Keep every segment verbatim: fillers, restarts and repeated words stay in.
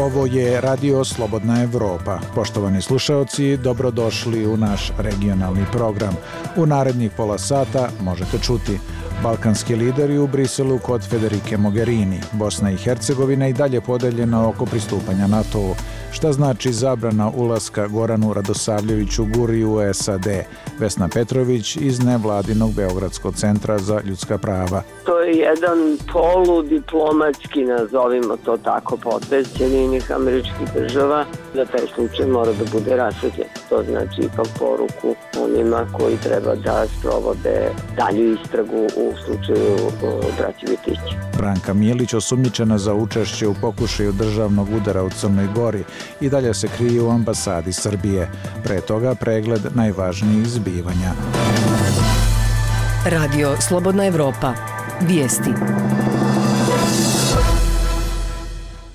Ovo je Radio Slobodna Evropa. Poštovani slušaoci, dobrodošli u naš regionalni program. U narednih pola sata možete čuti: balkanski lideri u Briselu kod Federike Mogherini. Bosna i Hercegovina i dalje podeljena oko pristupanja NATO-u. Šta znači zabrana ulaska Goranu Radosavljeviću Guri u S A D? Vesna Petrović iz nevladinog Beogradskog centra za ljudska prava. To je jedan poludiplomatski, nazovimo to tako, potez Sjedinjenih Američkih Država da taj slučaj mora da bude rasvetljen. To znači ipak poruku onima koji treba da sprovode dalju istragu u slučaju braće Vitić. Branka Milić, osumnjičena za učešće u pokušaju državnog udara u Crnoj Gori, i dalje se krije u ambasadi Srbije. Pre toga pregled najvažnijih zbivanja. Radio Slobodna Evropa. Vijesti.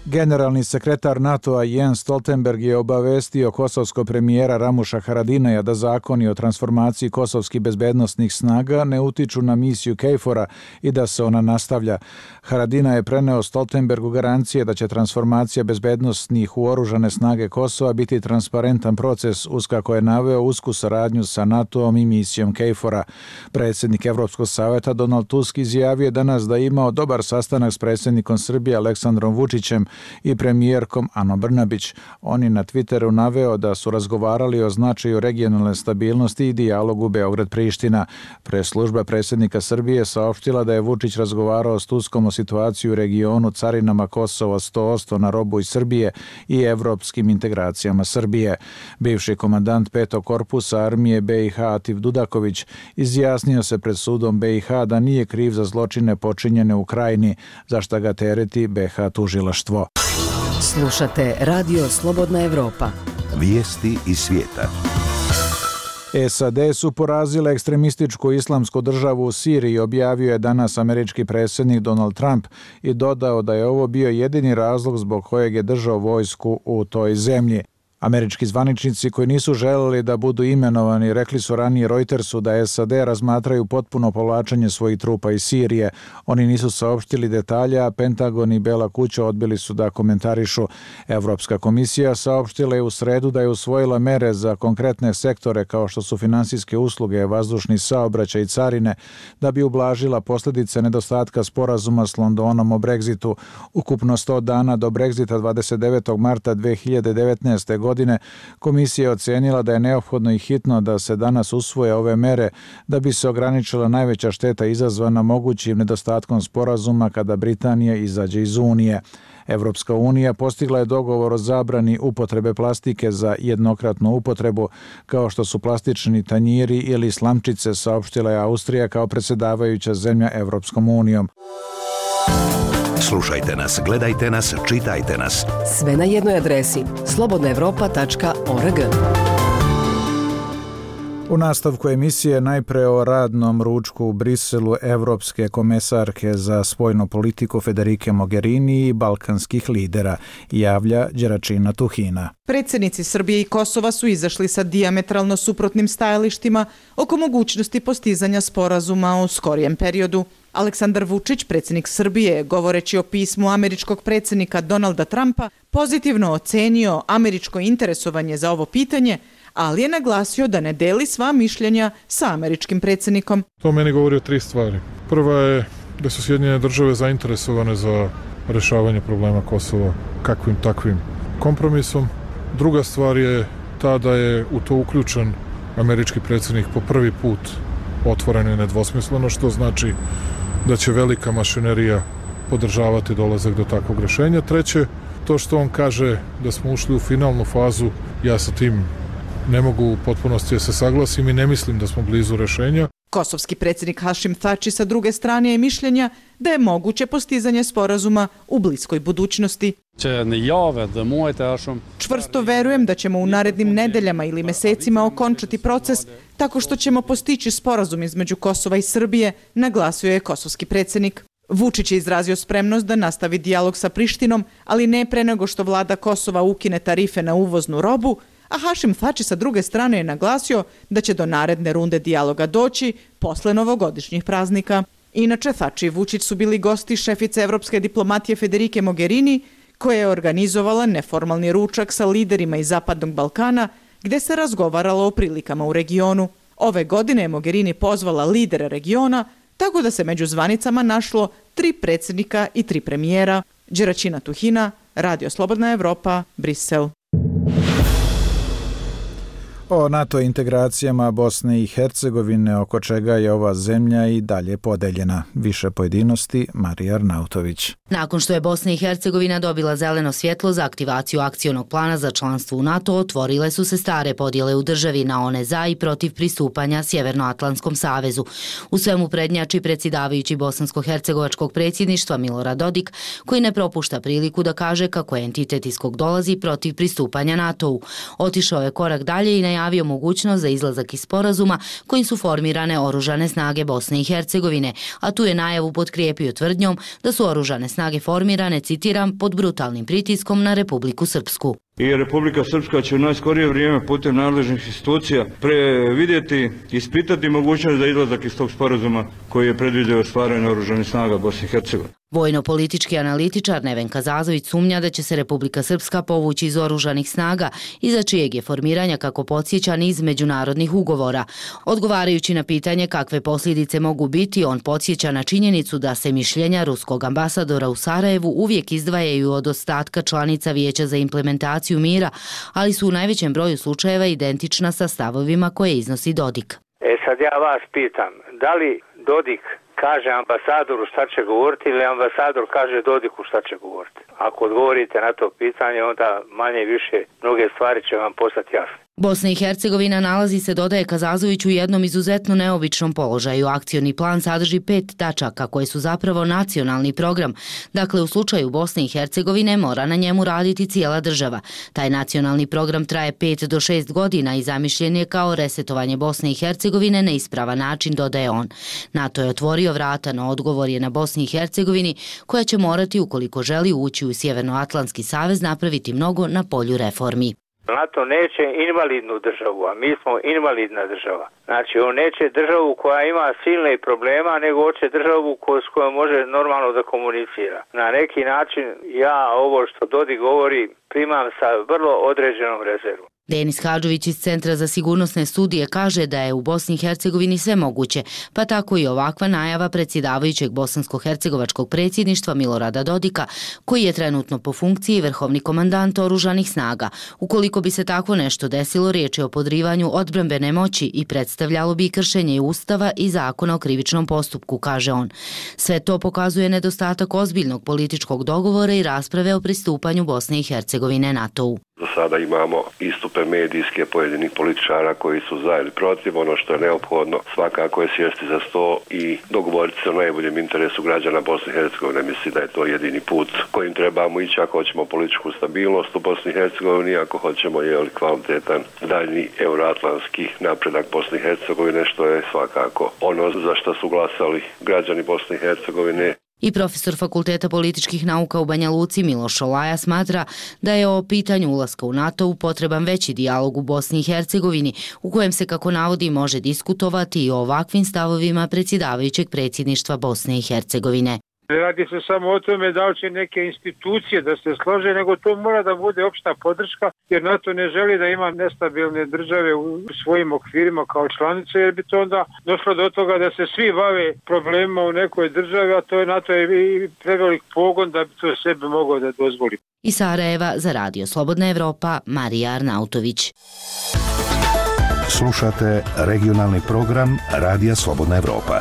Generalni sekretar NATO-a Jens Stoltenberg je obavestio kosovskog premijera Ramuša Haradinaja da zakoni o transformaciji kosovskih bezbednosnih snaga ne utiču na misiju KFOR-a i da se ona nastavlja. Haradinaj je preneo Stoltenbergu garancije da će transformacija bezbednosnih u oružane snage Kosova biti transparentan proces, uz kako je naveo usku saradnju sa NATO-om i misijom KFOR-a. Predsjednik Evropskog savjeta Donald Tusk izjavio je danas da je imao dobar sastanak s predsjednikom Srbije Aleksandrom Vučićem i premijerkom Anom Brnabić. On je na Twitteru naveo da su razgovarali o značaju regionalne stabilnosti i dijalogu Beograd-Priština. Preslužba predsjednika Srbije saopštila da je Vučić razgovarao s Tuskom o situaciji u regionu, carinama Kosova sto posto na robu iz Srbije i evropskim integracijama Srbije. Bivši komandant petog korpusa armije B i H Atif Dudaković izjasnio se pred sudom B i H da nije kriv za zločine počinjene u Krajini, za šta ga tereti B H tužilaštvo. Slušate Radio Slobodna Evropa. Vijesti iz svijeta. S A D su porazile ekstremističku islamsku državu u Siriji, objavio je danas američki predsjednik Donald Trump i dodao da je ovo bio jedini razlog zbog kojeg je držao vojsku u toj zemlji. Američki zvaničnici koji nisu želeli da budu imenovani rekli su ranije Reutersu da S A D razmatraju potpuno povlačenje svojih trupa iz Sirije. Oni nisu saopštili detalje, a Pentagon i Bela kuća odbili su da komentarišu. Evropska komisija saopštila je u sredu da je usvojila mere za konkretne sektore kao što su finansijske usluge, vazdušni saobraćaj i carine, da bi ublažila posljedice nedostatka sporazuma s Londonom o Brexitu. Ukupno sto dana do Brexita dvadeset devetog marta dve hiljade devetnaeste. godine godine komisija je ocenila da je neophodno i hitno da se danas usvoje ove mere da bi se ograničila najveća šteta izazvana mogućim nedostatkom sporazuma kada Britanija izađe iz Unije. Evropska unija postigla je dogovor o zabrani upotrebe plastike za jednokratnu upotrebu, kao što su plastični tanjiri ili slamčice, saopštila je Austrija kao predsjedavajuća zemlja Evropskom unijom. Slušajte nas, gledajte nas, čitajte nas. Sve na jednoj adresi slobodna evropa tačka org. U nastavku emisije najpre o radnom ručku u Briselu evropske komesarke za spoljnu politiku Federike Mogherini i balkanskih lidera, javlja Đeračina Tuhina. Predsjednici Srbije i Kosova su izašli sa dijametralno suprotnim stajalištima oko mogućnosti postizanja sporazuma u skorijem periodu. Aleksandar Vučić, predsjednik Srbije, govoreći o pismu američkog predsjednika Donalda Trumpa, pozitivno ocenio američko interesovanje za ovo pitanje, ali je naglasio da ne deli sva mišljenja sa američkim predsjednikom. To meni govori o tri stvari. Prva je da su Sjedinjene države zainteresovane za rješavanje problema Kosova kakvim takvim kompromisom. Druga stvar je ta da je u to uključen američki predsjednik po prvi put otvoreno i nedvosmisleno, što znači da će velika mašinerija podržavati dolazak do takvog rješenja. Treće, to što on kaže da smo ušli u finalnu fazu, ja sa tim ne mogu u potpunosti da se saglasim i ne mislim da smo blizu rješenja. Kosovski predsjednik Hašim Thači sa druge strane je mišljenja da je moguće postizanje sporazuma u bliskoj budućnosti. Čvrsto verujem da ćemo u narednim nedeljama ili mesecima okončati proces tako što ćemo postići sporazum između Kosova i Srbije, naglasio je kosovski predsjednik. Vučić je izrazio spremnost da nastavi dijalog sa Prištinom, ali ne pre nego što vlada Kosova ukine tarife na uvoznu robu, a Hašim Thači sa druge strane je naglasio da će do naredne runde dijaloga doći posle novogodišnjih praznika. Inače, Thači i Vučić su bili gosti šefice evropske diplomatije Federike Mogherini, koja je organizovala neformalni ručak sa liderima iz Zapadnog Balkana gde se razgovaralo o prilikama u regionu. Ove godine je Mogherini pozvala lidere regiona, tako da se među zvanicama našlo tri predsjednika i tri premijera. Đeraćina Tuhina, Radio Slobodna Evropa, Brisel. O NATO integracijama Bosne i Hercegovine, oko čega je ova zemlja i dalje podeljena. Više pojedinosti, Marija Arnautović. Nakon što je Bosna i Hercegovina dobila zeleno svjetlo za aktivaciju akcionog plana za članstvo u NATO, otvorile su se stare podjele u državi na one za i protiv pristupanja Sjevernoatlantskom savezu. U svemu prednjači predsjedavajući bosansko-hercegovačkog predsjedništva Milorad Dodik, koji ne propušta priliku da kaže kako je entitet iz kog dolazi protiv pristupanja NATO-u. Otišao je korak dalje i najavio mogućnost za izlazak iz sporazuma kojim su formirane oružane snage Bosne i Hercegovine, a tu je najavu potkrijepio tvrdnjom da su oružane snage formirane, citiram, pod brutalnim pritiskom na Republiku Srpsku. I Republika Srpska će u najskorije vrijeme putem nadležnih institucija previdjeti, ispitati mogućnost za izlazak iz tog sporazuma koji je predvidio stvaranje oružanih snaga Bosne i Hercegovine. Vojno-politički analitičar Nevenka Zazović sumnja da će se Republika Srpska povući iz oružanih snaga, iza čijeg je formiranja, kako podsjeća, niz međunarodnih ugovora. Odgovarajući na pitanje kakve posljedice mogu biti, on podsjeća na činjenicu da se mišljenja ruskog ambasadora u Sarajevu uvijek izdvajaju od ostatka članica Vijeća za implementaciju mira, ali su u najvećem broju slučajeva identična sa stavovima koje iznosi Dodik. E sad ja vas pitam, da li Dodik kaže ambasadoru šta će govoriti ili ambasador kaže Dodiku šta će govoriti? Ako odgovorite na to pitanje, onda manje i više mnoge stvari će vam postati jasne. Bosna i Hercegovina nalazi se, dodaje Kazazović, u jednom izuzetno neobičnom položaju. Akcioni plan sadrži pet tačaka koje su zapravo nacionalni program. Dakle, u slučaju Bosne i Hercegovine mora na njemu raditi cijela država. Taj nacionalni program traje pet do šest godina i zamišljen je kao resetovanje Bosne i Hercegovine na ispravan način, dodaje on. NATO je otvorio vrata, no odgovor je na Bosni i Hercegovini, koja će morati, ukoliko želi ući u Sjevernoatlantski savez, napraviti mnogo na polju reformi. NATO neće invalidnu državu, a mi smo invalidna država. Znači, on neće državu koja ima silne problema, nego hoće državu s kojom može normalno da komunicira. Na neki način ja ovo što Dodik govori primam sa vrlo određenom rezervom. Denis Hadžović iz Centra za sigurnosne studije kaže da je u Bosni i Hercegovini sve moguće, pa tako i ovakva najava predsjedavajućeg bosansko-hercegovačkog predsjedništva Milorada Dodika, koji je trenutno po funkciji vrhovni komandant oružanih snaga. Ukoliko bi se tako nešto desilo, riječ je o podrivanju odbrambene moći i predstavljalo bi kršenje Ustava i Zakona o krivičnom postupku, kaže on. Sve to pokazuje nedostatak ozbiljnog političkog dogovora i rasprave o pristupanju Bosne i Hercegovine NATO-u. Do sada imamo istupe medijske pojedinih političara koji su za ili protiv. Ono što je neophodno svakako je sjesti za sto i dogovoriti se o najboljem interesu građana Bosne i Hercegovine. Mislim da je to jedini put kojim trebamo ići ako hoćemo političku stabilnost u Bosni i Hercegovini, ako hoćemo je kvalitetan daljni euroatlantski napredak Bosne i Hercegovine, što je svakako ono za što su glasali građani Bosne i Hercegovine. I profesor Fakulteta političkih nauka u Banja Luci Miloš Olaja smatra da je o pitanju ulaska u NATO potreban veći dijalog u Bosni i Hercegovini, u kojem se, kako navodi, može diskutovati i o ovakvim stavovima predsjedavajućeg predsjedništva Bosne i Hercegovine. Ne radi se samo o tome da li će neke institucije da se slože, nego to mora da bude opšta podrška, jer NATO ne želi da ima nestabilne države u svojim okvirima kao članice, jer bi to onda došlo do toga da se svi bave problemima u nekoj državi, a to je NATO je i prevelik pogon da bi to sebi mogao da dozvoli. Iz Sarajeva za Radio Slobodna Evropa, Marija Arnautović. Slušate regionalni program Radija Slobodna Evropa.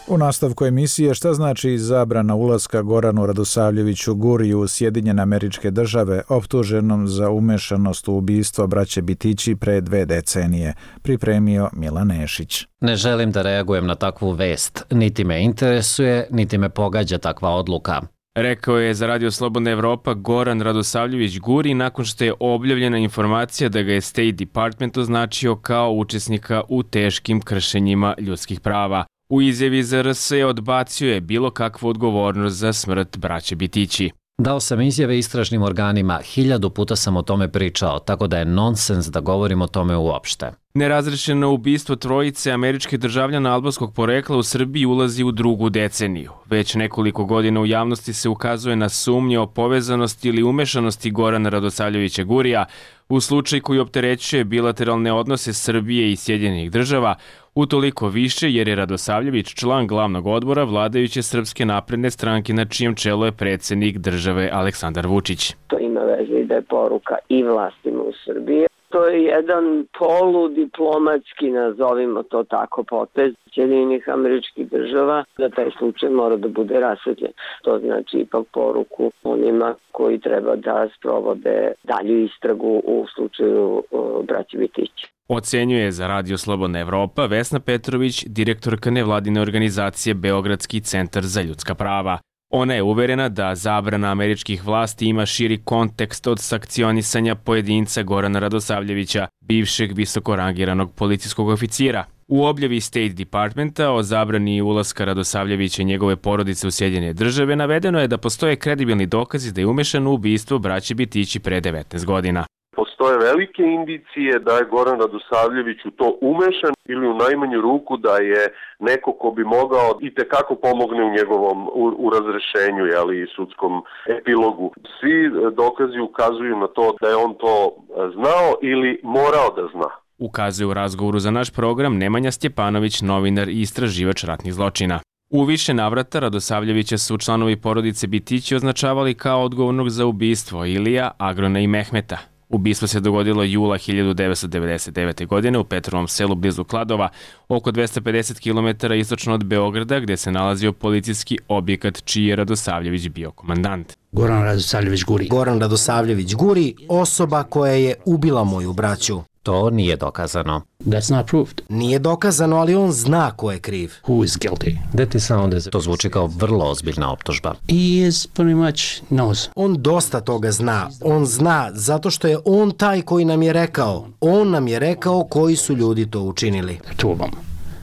U nastavku emisije šta znači zabrana ulaska Goranu Radosavljeviću Guriju u Sjedinjene Američke Države, optuženom za umešanost u ubistvo braće Bitići pre dve decenije, pripremio Milan Nešić. Ne želim da reagujem na takvu vest, niti me interesuje, niti me pogađa takva odluka. Rekao je za Radio Slobodna Evropa Goran Radosavljević Guri nakon što je objavljena informacija da ga je State Department označio kao učesnika u teškim kršenjima ljudskih prava. U izjavi za R S odbacio je bilo kakvu odgovornost za smrt braće Bitići. Dao sam izjave istražnim organima, hiljadu puta sam o tome pričao, tako da je nonsens da govorim o tome uopšte. Nerazrešeno ubistvo trojice američkih državljana albanskog porekla u Srbiji ulazi u drugu deceniju. Već nekoliko godina u javnosti se ukazuje na sumnje o povezanosti ili umešanosti Gorana Radosavljevića Gurija u slučaj koji opterećuje bilateralne odnose Srbije i Sjedinjenih država, utoliko više jer je Radosavljević član glavnog odbora vladajuće Srpske napredne stranke na čijem čelu je predsjednik države Aleksandar Vučić. To ima veze i da je poruka i vlastima u Srbiji. To je jedan poludiplomatski, nazovimo to tako, potez Sjedinjenih američkih država, da taj slučaj mora da bude rasvetljen. To znači ipak poruku onima koji treba da sprovode dalju istragu u slučaju braće Bitić. Ocenjuje za Radio Slobodna Evropa Vesna Petrović, direktorka nevladine organizacije Beogradski centar za ljudska prava. Ona je uverena da zabrana američkih vlasti ima širi kontekst od sankcionisanja pojedinca Gorana Radosavljevića, bivšeg visokorangiranog policijskog oficira. U objavi State Departmenta o zabrani ulaska Radosavljevića i njegove porodice u Sjedinjene države navedeno je da postoje kredibilni dokazi da je umešan u ubistvo braće Bitići pre devetnaest godina. Postoje velike indicije da je Goran Radosavljević u to umešan ili u najmanju ruku da je neko ko bi mogao i tekako pomogne u njegovom u, u razrešenju, jeli, i sudskom epilogu. Svi dokazi ukazuju na to da je on to znao ili morao da zna. Ukazuje u razgovoru za naš program Nemanja Stjepanović, novinar i istraživač ratnih zločina. U više navrata Radosavljevića su članovi porodice Bitići označavali kao odgovornog za ubistvo Ilija, Agrona i Mehmeta. Ubistvo se dogodilo jula hiljadu devetsto devedeset devete. godine u Petrovom selu blizu Kladova, oko dvesta pedeset kilometara istočno od Beograda, gde se nalazio policijski objekat čiji je Radosavljević bio komandant. Goran Radosavljević Guri. Goran Radosavljević Guri, osoba koja je ubila moju braću. To nije dokazano. That's not proved. Nije dokazano, ali on zna ko je kriv. Who is guilty? That is sound as... To zvuči kao vrlo ozbiljna optužba. He is pretty much knows. On dosta toga zna. On zna zato što je on taj koji nam je rekao. On nam je rekao koji su ljudi to učinili. Two of them.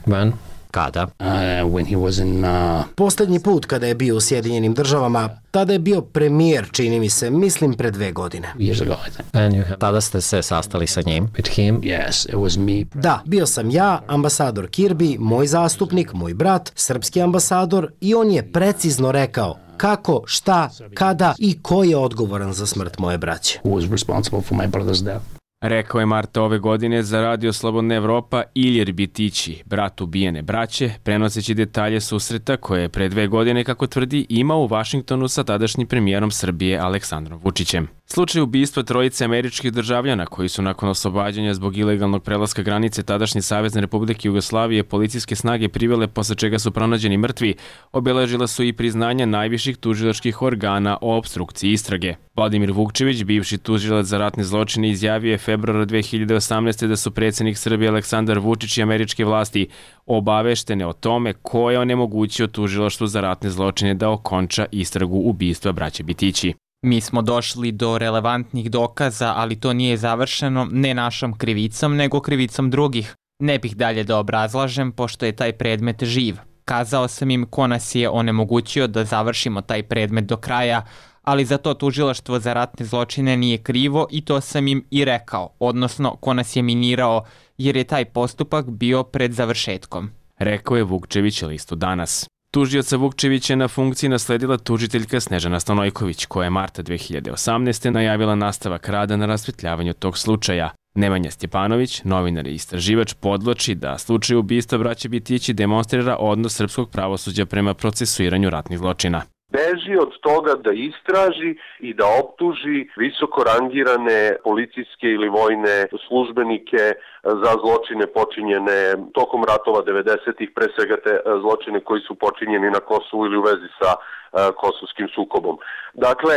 When? Kada? Uh, when he was in, uh... Poslednji put kada je bio u Sjedinjenim državama, tada je bio premijer, čini mi se, mislim pre dve godine. Years ago, I think. And you have... Tada ste se sastali sa njim? With him? Yes, it was me. Da, bio sam ja, ambasador Kirby, moj zastupnik, moj brat, srpski ambasador, i on je precizno rekao kako, šta, kada i ko je odgovoran za smrt moje braće. Who was responsible for my brother's death? Rekao je marta ove godine za Radio Slobodna Evropa Ilir Bitići, brat ubijene braće, prenoseći detalje susreta koje je pre dve godine, kako tvrdi, imao u Vašingtonu sa tadašnjim premijerom Srbije Aleksandrom Vučićem. Slučaj ubistva trojice američkih državljana koji su nakon oslobađanja zbog ilegalnog prelaska granice tadašnje Savezne Republike Jugoslavije policijske snage privele, posle čega su pronađeni mrtvi, obeležila su i priznanja najviših tužilačkih organa o opstrukciji istrage. Vladimir Vukčević, bivši tužilac za ratne zločine, izjavio je februara dve hiljade osamnaeste. da su predsjednik Srbije Aleksandar Vučić i američke vlasti obaveštene o tome ko je onemogućio tužilaštvu za ratne zločine da okonča istragu ubistva braće Bitići. Mi smo došli do relevantnih dokaza, ali to nije završeno ne našom krivicom, nego krivicom drugih. Ne bih dalje da obrazlažem, pošto je taj predmet živ. Kazao sam im ko nas je onemogućio da završimo taj predmet do kraja, ali za to tužilaštvo za ratne zločine nije krivo i to sam im i rekao, odnosno ko nas je minirao, jer je taj postupak bio pred završetkom. Rekao je Vukčević listu Danas. Tužioca Vukčevića na funkciji nasledila tužiteljka Snežana Stanojković, koja je marta dve hiljade osamnaeste. najavila nastavak rada na rasvetljavanju tog slučaja. Nemanja Stjepanović, novinar i istraživač, podvlači da slučaj ubistva braće Bitići demonstrira odnos srpskog pravosuđa prema procesuiranju ratnih zločina. Beži od toga da istraži i da optuži visoko rangirane policijske ili vojne službenike za zločine počinjene tokom ratova devedesetih, pre svega te zločine koji su počinjeni na Kosovu ili u vezi sa uh, kosovskim sukobom. Dakle,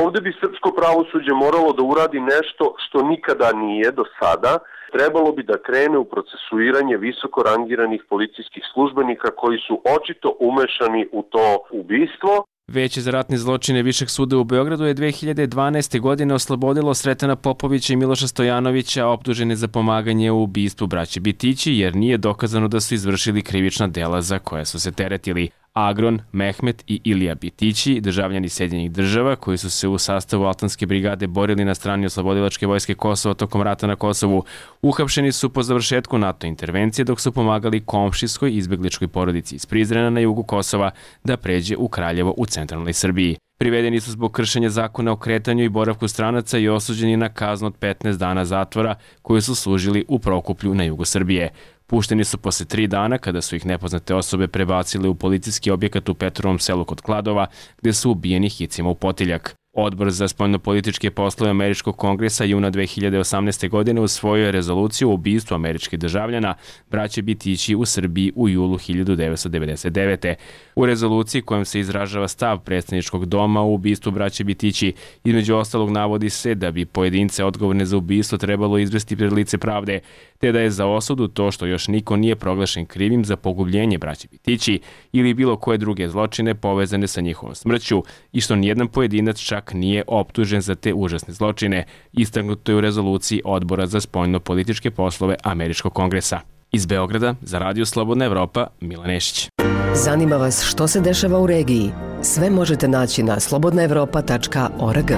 ovde bi srpsko pravosuđe moralo da uradi nešto što nikada nije do sada. Trebalo bi da krene u procesuiranje visoko rangiranih policijskih službenika koji su očito umešani u to ubistvo. Veće za ratne zločine Višeg suda u Beogradu je dve hiljade dvanaeste. godine oslobodilo Sretena Popovića i Miloša Stojanovića, optužene za pomaganje u ubistvu braće Bitići, jer nije dokazano da su izvršili krivična dela za koje su se teretili. Agron, Mehmet i Ilija Bitići, državljani Sjedinjenih država koji su se u sastavu Altanske brigade borili na strani oslobodilačke vojske Kosova tokom rata na Kosovu, uhapšeni su po završetku NATO intervencije dok su pomagali komšijskoj izbegličkoj porodici iz Prizrena na jugu Kosova da pređe u Kraljevo u centralnoj Srbiji. Privedeni su zbog kršenja zakona o kretanju i boravku stranaca i osuđeni na kaznu od petnaest dana zatvora koju su služili u Prokuplju na jugu Srbije. Pušteni su posle tri dana kada su ih nepoznate osobe prebacile u policijski objekat u Petrovom selu kod Kladova, gde su ubijeni hicima u potiljak. Odbor za spoljnopolitičke poslove Američkog kongresa juna dve hiljade osamnaeste. godine usvojio je rezoluciju o ubistvu američkih državljana braće Bitići u Srbiji u julu hiljadu devetsto devedeset devete. U rezoluciji kojom se izražava stav predstavničkog doma u ubistvu braće Bitići, između ostalog navodi se da bi pojedince odgovorne za ubistvo trebalo izvesti pred lice pravde, te da je za osudu to što još niko nije proglašen krivim za pogubljenje braće Bitići ili bilo koje druge zločine povezane sa njihovom smrću i što nijedan pojedinac čak nije optužen za te užasne zločine, istaknuto je u rezoluciji Odbora za spoljno-političke poslove Američkog kongresa. Iz Beograda za Radio Slobodna Evropa, Milan Nešić. Zanima vas što se dešava u regiji? Sve možete naći na slobodna evropa tačka org.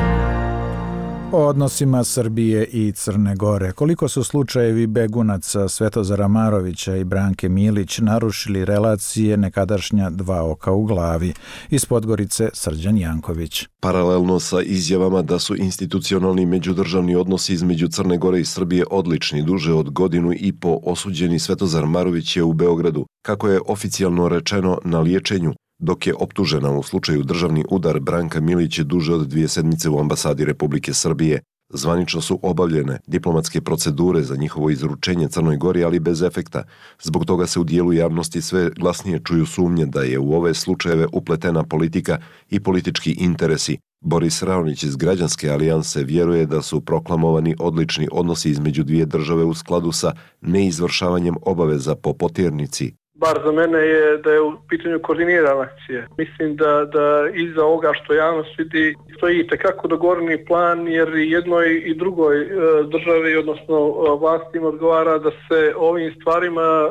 O odnosima Srbije i Crne Gore. Koliko su slučajevi begunaca Svetozara Marovića i Branke Milić narušili relacije nekadašnja dva oka u glavi? Iz Podgorice Srđan Janković. Paralelno sa izjavama da su institucionalni međudržavni odnosi između Crne Gore i Srbije odlični, duže od godinu i po osuđeni Svetozar Marović je u Beogradu, kako je oficijalno rečeno, na liječenju, dok je optužena u slučaju državni udar Branka Milić je duže od dvije sedmice u ambasadi Republike Srbije. Zvanično su obavljene diplomatske procedure za njihovo izručenje Crnoj Gori, ali bez efekta. Zbog toga se u dijelu javnosti sve glasnije čuju sumnje da je u ove slučajeve upletena politika i politički interesi. Boris Raonić iz Građanske alijanse vjeruje da su proklamovani odlični odnosi između dvije države u skladu sa neizvršavanjem obaveza po poternici. Bar za mene je da je u pitanju koordinirana akcija. Mislim da, da iza ovoga što javnost vidi stoji tekako dogovoreni plan, jer i jednoj i drugoj e, državi, odnosno e, vlastima odgovara da se ovim stvarima e,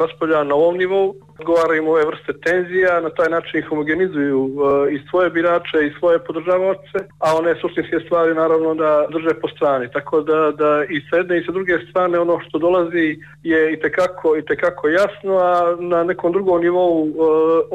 raspravlja na ovom nivou, odgovaraju ove vrste tenzija, na taj način homogenizuju e, i svoje birače i svoje podržavaoce, a one suštinske stvari naravno da drže po strani. Tako da, da i s jedne i sa druge strane ono što dolazi je i tekako, i tekako jasno, a na nekom drugom nivou e,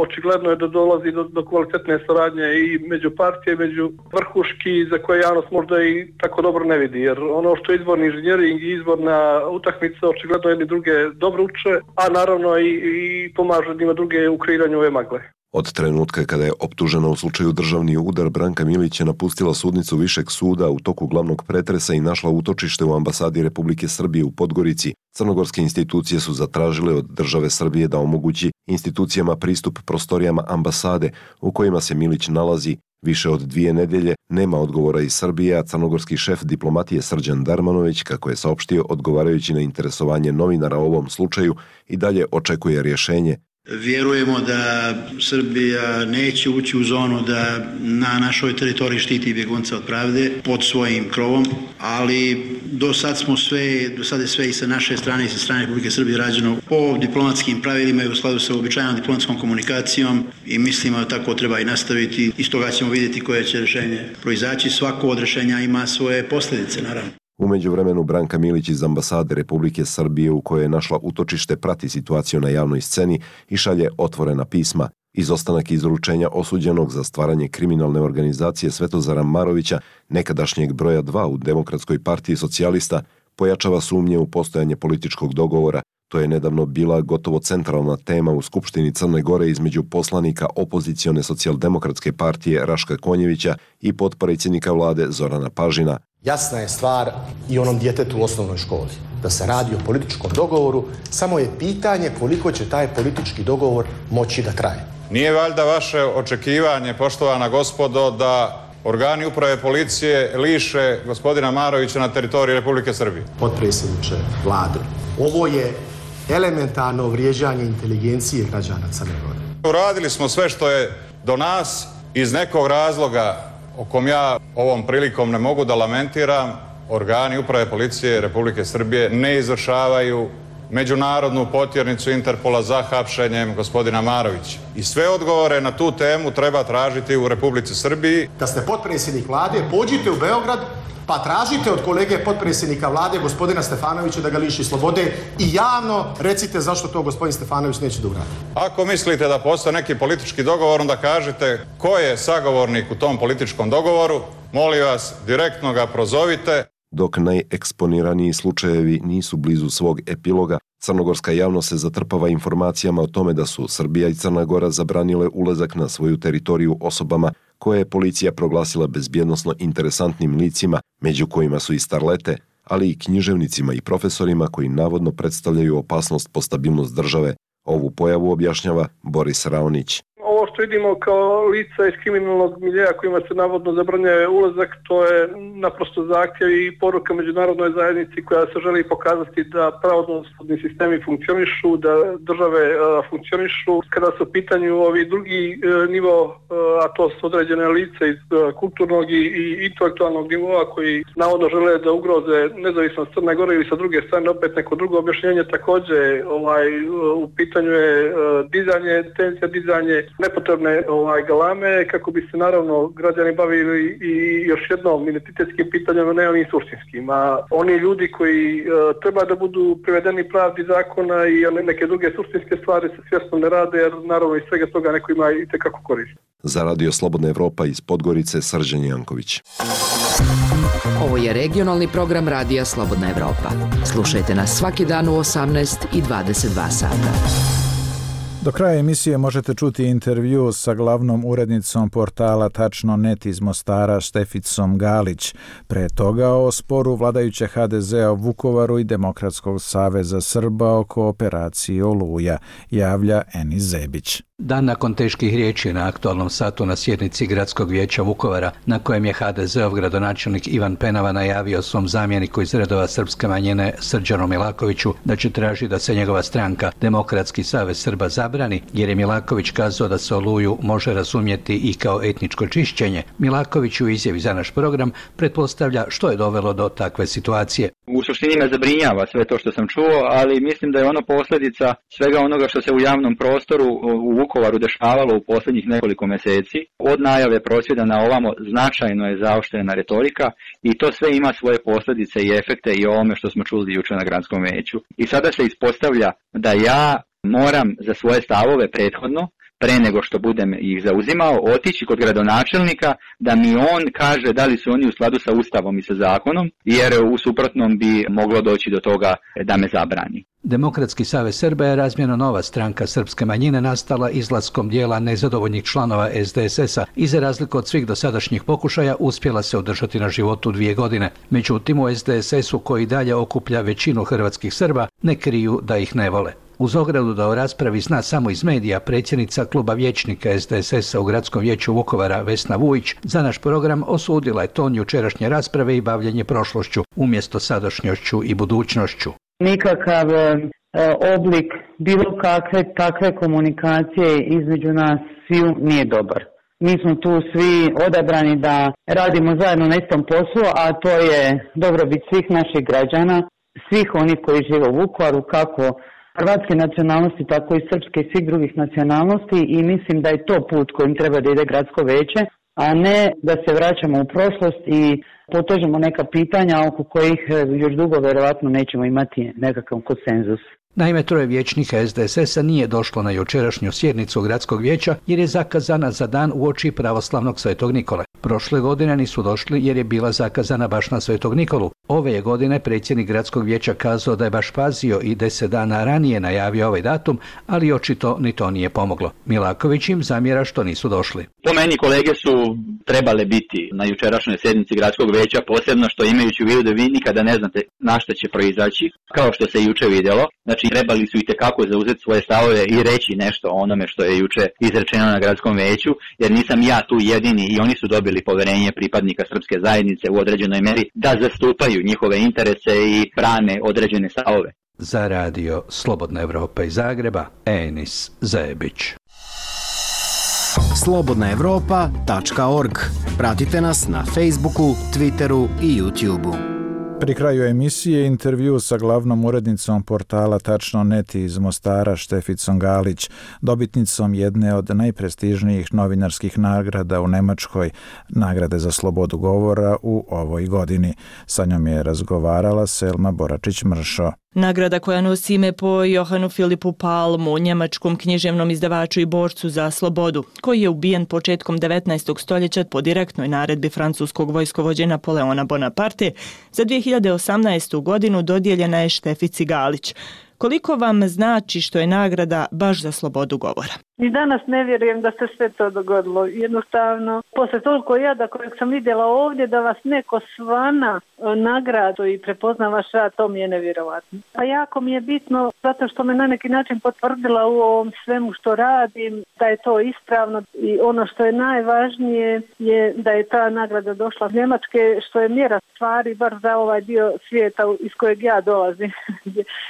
očigledno je da dolazi do, do kvalitetne saradnje i među partije, među vrhuški za koje javnost možda i tako dobro ne vidi, jer ono što je izborni inženjering i izborna utakmica očigledno jedni druge dobro uče, a naravno i, i pomažu jednima druge u kreiranju ove magle. Od trenutka kada je optužena u slučaju državni udar, Branka Milić je napustila sudnicu Višeg suda u toku glavnog pretresa i našla utočište u ambasadi Republike Srbije u Podgorici. Crnogorske institucije su zatražile od države Srbije da omogući institucijama pristup prostorijama ambasade u kojima se Milić nalazi. Više od dvije nedelje nema odgovora iz Srbije, a crnogorski šef diplomatije Srđan Darmanović, kako je saopštio odgovarajući na interesovanje novinara o ovom slučaju, i dalje očekuje rješenje. Vjerujemo da Srbija neće ući u zonu da na našoj teritoriji štiti bjegunca od pravde pod svojim krovom, ali do sad smo sve, do sad je sve i sa naše strane i sa strane Republike Srbije rađeno po diplomatskim pravilima i u skladu sa uobičajenom diplomatskom komunikacijom i mislimo da tako treba i nastaviti. Iz toga ćemo vidjeti koje će rješenje proizaći. Svako od rješenja ima svoje posljedice, naravno. U međuvremenu Branka Milić iz ambasade Republike Srbije u kojoj je našla utočište prati situaciju na javnoj sceni i šalje otvorena pisma. Izostanak izručenja osuđenog za stvaranje kriminalne organizacije Svetozara Marovića, nekadašnjeg broja dva u Demokratskoj partiji socijalista, pojačava sumnje u postojanje političkog dogovora. To je nedavno bila gotovo centralna tema u Skupštini Crne Gore između poslanika opozicione socijaldemokratske partije Raška Konjevića i potpredsjednika vlade Zorana Pažina. Jasna je stvar i onom djetetu u osnovnoj školi. Da se radi o političkom dogovoru, samo je pitanje koliko će taj politički dogovor moći da traje. Nije valjda vaše očekivanje, poštovana gospodo, da organi uprave policije liše gospodina Marovića na teritoriji Republike Srbije? Potpredsjedniče vlade, ovo je elementarno vrijeđanje inteligencije građana Crne Gore. Uradili smo sve što je do nas iz nekog razloga o kom ja ovom prilikom ne mogu da lamentiram. Organi uprave policije Republike Srbije ne izvršavaju međunarodnu potjernicu Interpola za hapšenjem gospodina Marovića. I sve odgovore na tu temu treba tražiti u Republici Srbiji. Da ste potpredsjednik vlade, pođite u Beograd pa tražite od kolege potpredsjednika vlade, gospodina Stefanovića, da ga liši slobode i javno recite zašto to gospodin Stefanović neće da uradi. Ako mislite da postoji neki politički dogovor, onda kažite ko je sagovornik u tom političkom dogovoru, molim vas, direktno ga prozovite. Dok najeksponiraniji slučajevi nisu blizu svog epiloga, crnogorska javnost se zatrpava informacijama o tome da su Srbija i Crna Gora zabranile ulazak na svoju teritoriju osobama koje je policija proglasila bezbjednosno interesantnim licima, među kojima su i starlete, ali i književnicima i profesorima koji navodno predstavljaju opasnost po stabilnost države. Ovu pojavu objašnjava Boris Raonić. Ovo što vidimo kao lica iz kriminalnog miljeja kojima se navodno zabranjuje ulazak, to je naprosto zahtjev i poruka međunarodnoj zajednici koja se želi pokazati da pravosudni sistemi funkcionišu, da države uh, funkcionišu. Kada su u pitanju ovi drugi uh, nivo, uh, a to su određene lice iz uh, kulturnog i, i intelektualnog nivoa koji navodno žele da ugroze nezavisnost Crne Gore ili sa druge strane opet neko drugo objašnjenje, također ovaj, uh, u pitanju je uh, dizanje, tenzija dizanje nepotrebne ovaj, galame kako bi se naravno građani bavili i još jednom identitetskim pitanjima, ne onim suštinskim. A oni ljudi koji uh, treba da budu privedeni pravdi zakona i neke druge suštinske stvari se svjesno ne rade, jer naravno iz svega toga neko ima i tekako koristi. Za Radio Slobodna Evropa iz Podgorice, Srđan Janković. Ovo je regionalni program Radija Slobodna Evropa. Slušajte nas svaki dan u osamnaest i dvadeset dva sata. Do kraja emisije možete čuti intervju sa glavnom urednicom portala tačno tačka net iz Mostara Šteficom Galić. Pre toga o sporu vladajuće ha de zea u Vukovaru i Demokratskog saveza Srba oko operacije Oluja, javlja Enis Zebić. Dan nakon teških riječi na aktualnom satu na sjednici Gradskog vijeća Vukovara, na kojem je ha de zeov gradonačelnik Ivan Penava najavio svom zamjeniku iz redova srpske manjine Srđanu Milakoviću da će tražiti da se njegova stranka Demokratski savez Srba zabrani, jer je Milaković kazao da se Oluju može razumjeti i kao etničko čišćenje. Milaković u izjavi za naš program pretpostavlja što je dovelo do takve situacije. U suštini me zabrinjava sve to što sam čuo, ali mislim da je ono posljedica svega onoga što se u javnom prostoru u Vukovaru dešavalo u posljednjih nekoliko mjeseci. Od najave prosvjeda na ovamo značajno je zaoštrena retorika i to sve ima svoje posljedice i efekte i o ovome što smo čuli jučer na gradskom vijeću. I sada se ispostavlja da ja moram za svoje stavove prethodno, pre nego što budem ih zauzimao, otići kod gradonačelnika da mi on kaže da li su oni u skladu sa Ustavom i sa zakonom, jer u suprotnom bi moglo doći do toga da me zabrani. Demokratski savez Srba je razmjerno nova stranka srpske manjine nastala izlaskom dijela nezadovoljnih članova es de es es-a i za razliku od svih dosadašnjih pokušaja uspjela se održati na životu dvije godine. Međutim, u es de es es-u koji dalje okuplja većinu hrvatskih Srba ne kriju da ih ne vole. Uz ogradu da o raspravi zna samo iz medija, predsjednica kluba vijećnika es de es es-a u Gradskom vijeću Vukovara Vesna Vujić za naš program osudila je ton jučerašnje rasprave i bavljenje prošlošću umjesto sadašnjošću i budućnošću. Nikakav e, oblik bilo kakve takve komunikacije između nas sviju nije dobar. Mi smo tu svi odabrani da radimo zajedno na istom poslu, a to je dobrobit svih naših građana, svih onih koji žive u Vukovaru, kako hrvatske nacionalnosti, tako i srpske i svih drugih nacionalnosti, i mislim da je to put kojim treba da ide gradsko veće, a ne da se vraćamo u prošlost i potežemo neka pitanja oko kojih još dugo verovatno nećemo imati nekakav konsenzus. Naime, troje vijećnika es de es es-a nije došlo na jučerašnju sjednicu Gradskog vijeća jer je zakazana za dan uoči pravoslavnog Svetog Nikole. Prošle godine nisu došli jer je bila zakazana baš na Svetog Nikolu. Ove je godine predsjednik Gradskog vijeća kazao da je baš pazio i deset dana ranije najavio ovaj datum, ali očito ni to nije pomoglo. Milaković im zamjera što nisu došli. Po meni kolege su trebale biti na jučerašnjoj sjednici Gradskog vijeća, posebno što imajući u vidu da vi nikada ne znate na što će proizaći, kao što se juče vidjelo. Znači, trebali su itekako zauzeti svoje stavove i reći nešto o onome što je juče izrečeno na Gradskom vijeću, jer nisam ja tu jedini i oni su dobili poverenje pripadnika srpske zajednice u određenoj meri da zastupaju njihove interese i brane određene stavove. Za Radio Slobodna Evropa iz Zagreba, Enis Zebić. slobodna evropa tačka org. Pratite nas na Facebooku, Twitteru i YouTubeu. Pri kraju emisije intervju sa glavnom urednicom portala Tačno tačka net iz Mostara Šteficom Galić, dobitnicom jedne od najprestižnijih novinarskih nagrada u Nemačkoj, nagrade za slobodu govora u ovoj godini. Sa njom je razgovarala Selma Boračić-Mršo. Nagrada koja nosi ime po Johanu Filipu Palmu, njemačkom književnom izdavaču i borcu za slobodu, koji je ubijen početkom devetnaestog stoljeća po direktnoj naredbi francuskog vojskovođe Napoleona Bonaparte, za dvije hiljade osamnaestu. godinu dodijeljena je Štefici Galić. Koliko vam znači što je nagrada baš za slobodu govora? Ni danas ne vjerujem da se sve to dogodilo. Jednostavno, posle toliko jada kojeg sam vidjela ovdje, da vas neko svana nagradu i prepozna vaš rad, to mi je nevjerovatno. A jako mi je bitno, zato što me na neki način potvrdila u ovom svemu što radim, da je to ispravno i ono što je najvažnije je da je ta nagrada došla iz Njemačke, što je mjera stvari bar za ovaj dio svijeta iz kojeg ja dolazim,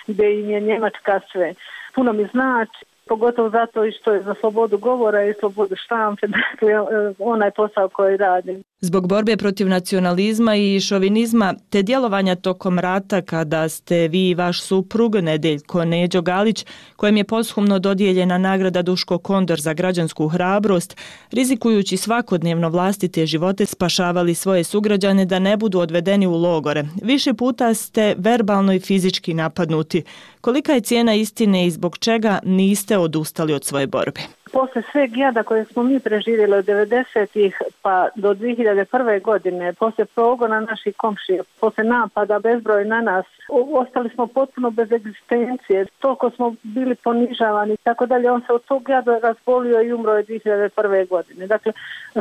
gdje im je Njemačka sve. Puno mi znači, pogotovo zato i što je za slobodu govora i slobodu štampe, dakle onaj posao koji radim. Zbog borbe protiv nacionalizma i šovinizma te djelovanja tokom rata kada ste vi i vaš suprug Nedeljko Neđo Galić, kojem je poshumno dodijeljena nagrada Duško Kondor za građansku hrabrost, rizikujući svakodnevno vlastite živote, spašavali svoje sugrađane da ne budu odvedeni u logore. Više puta ste verbalno i fizički napadnuti. Kolika je cijena istine i zbog čega niste odustali od svoje borbe? Posle sveg jada koje smo mi preživjeli od devedesetih pa do dvije hiljade prve. godine, posle progona naših komšija, posle napada bezbroj na nas, ostali smo potpuno bez egzistencije, toliko smo bili ponižavani i tako dalje. On se od tog jada razbolio i umro je dvije hiljade prve. godine. Dakle,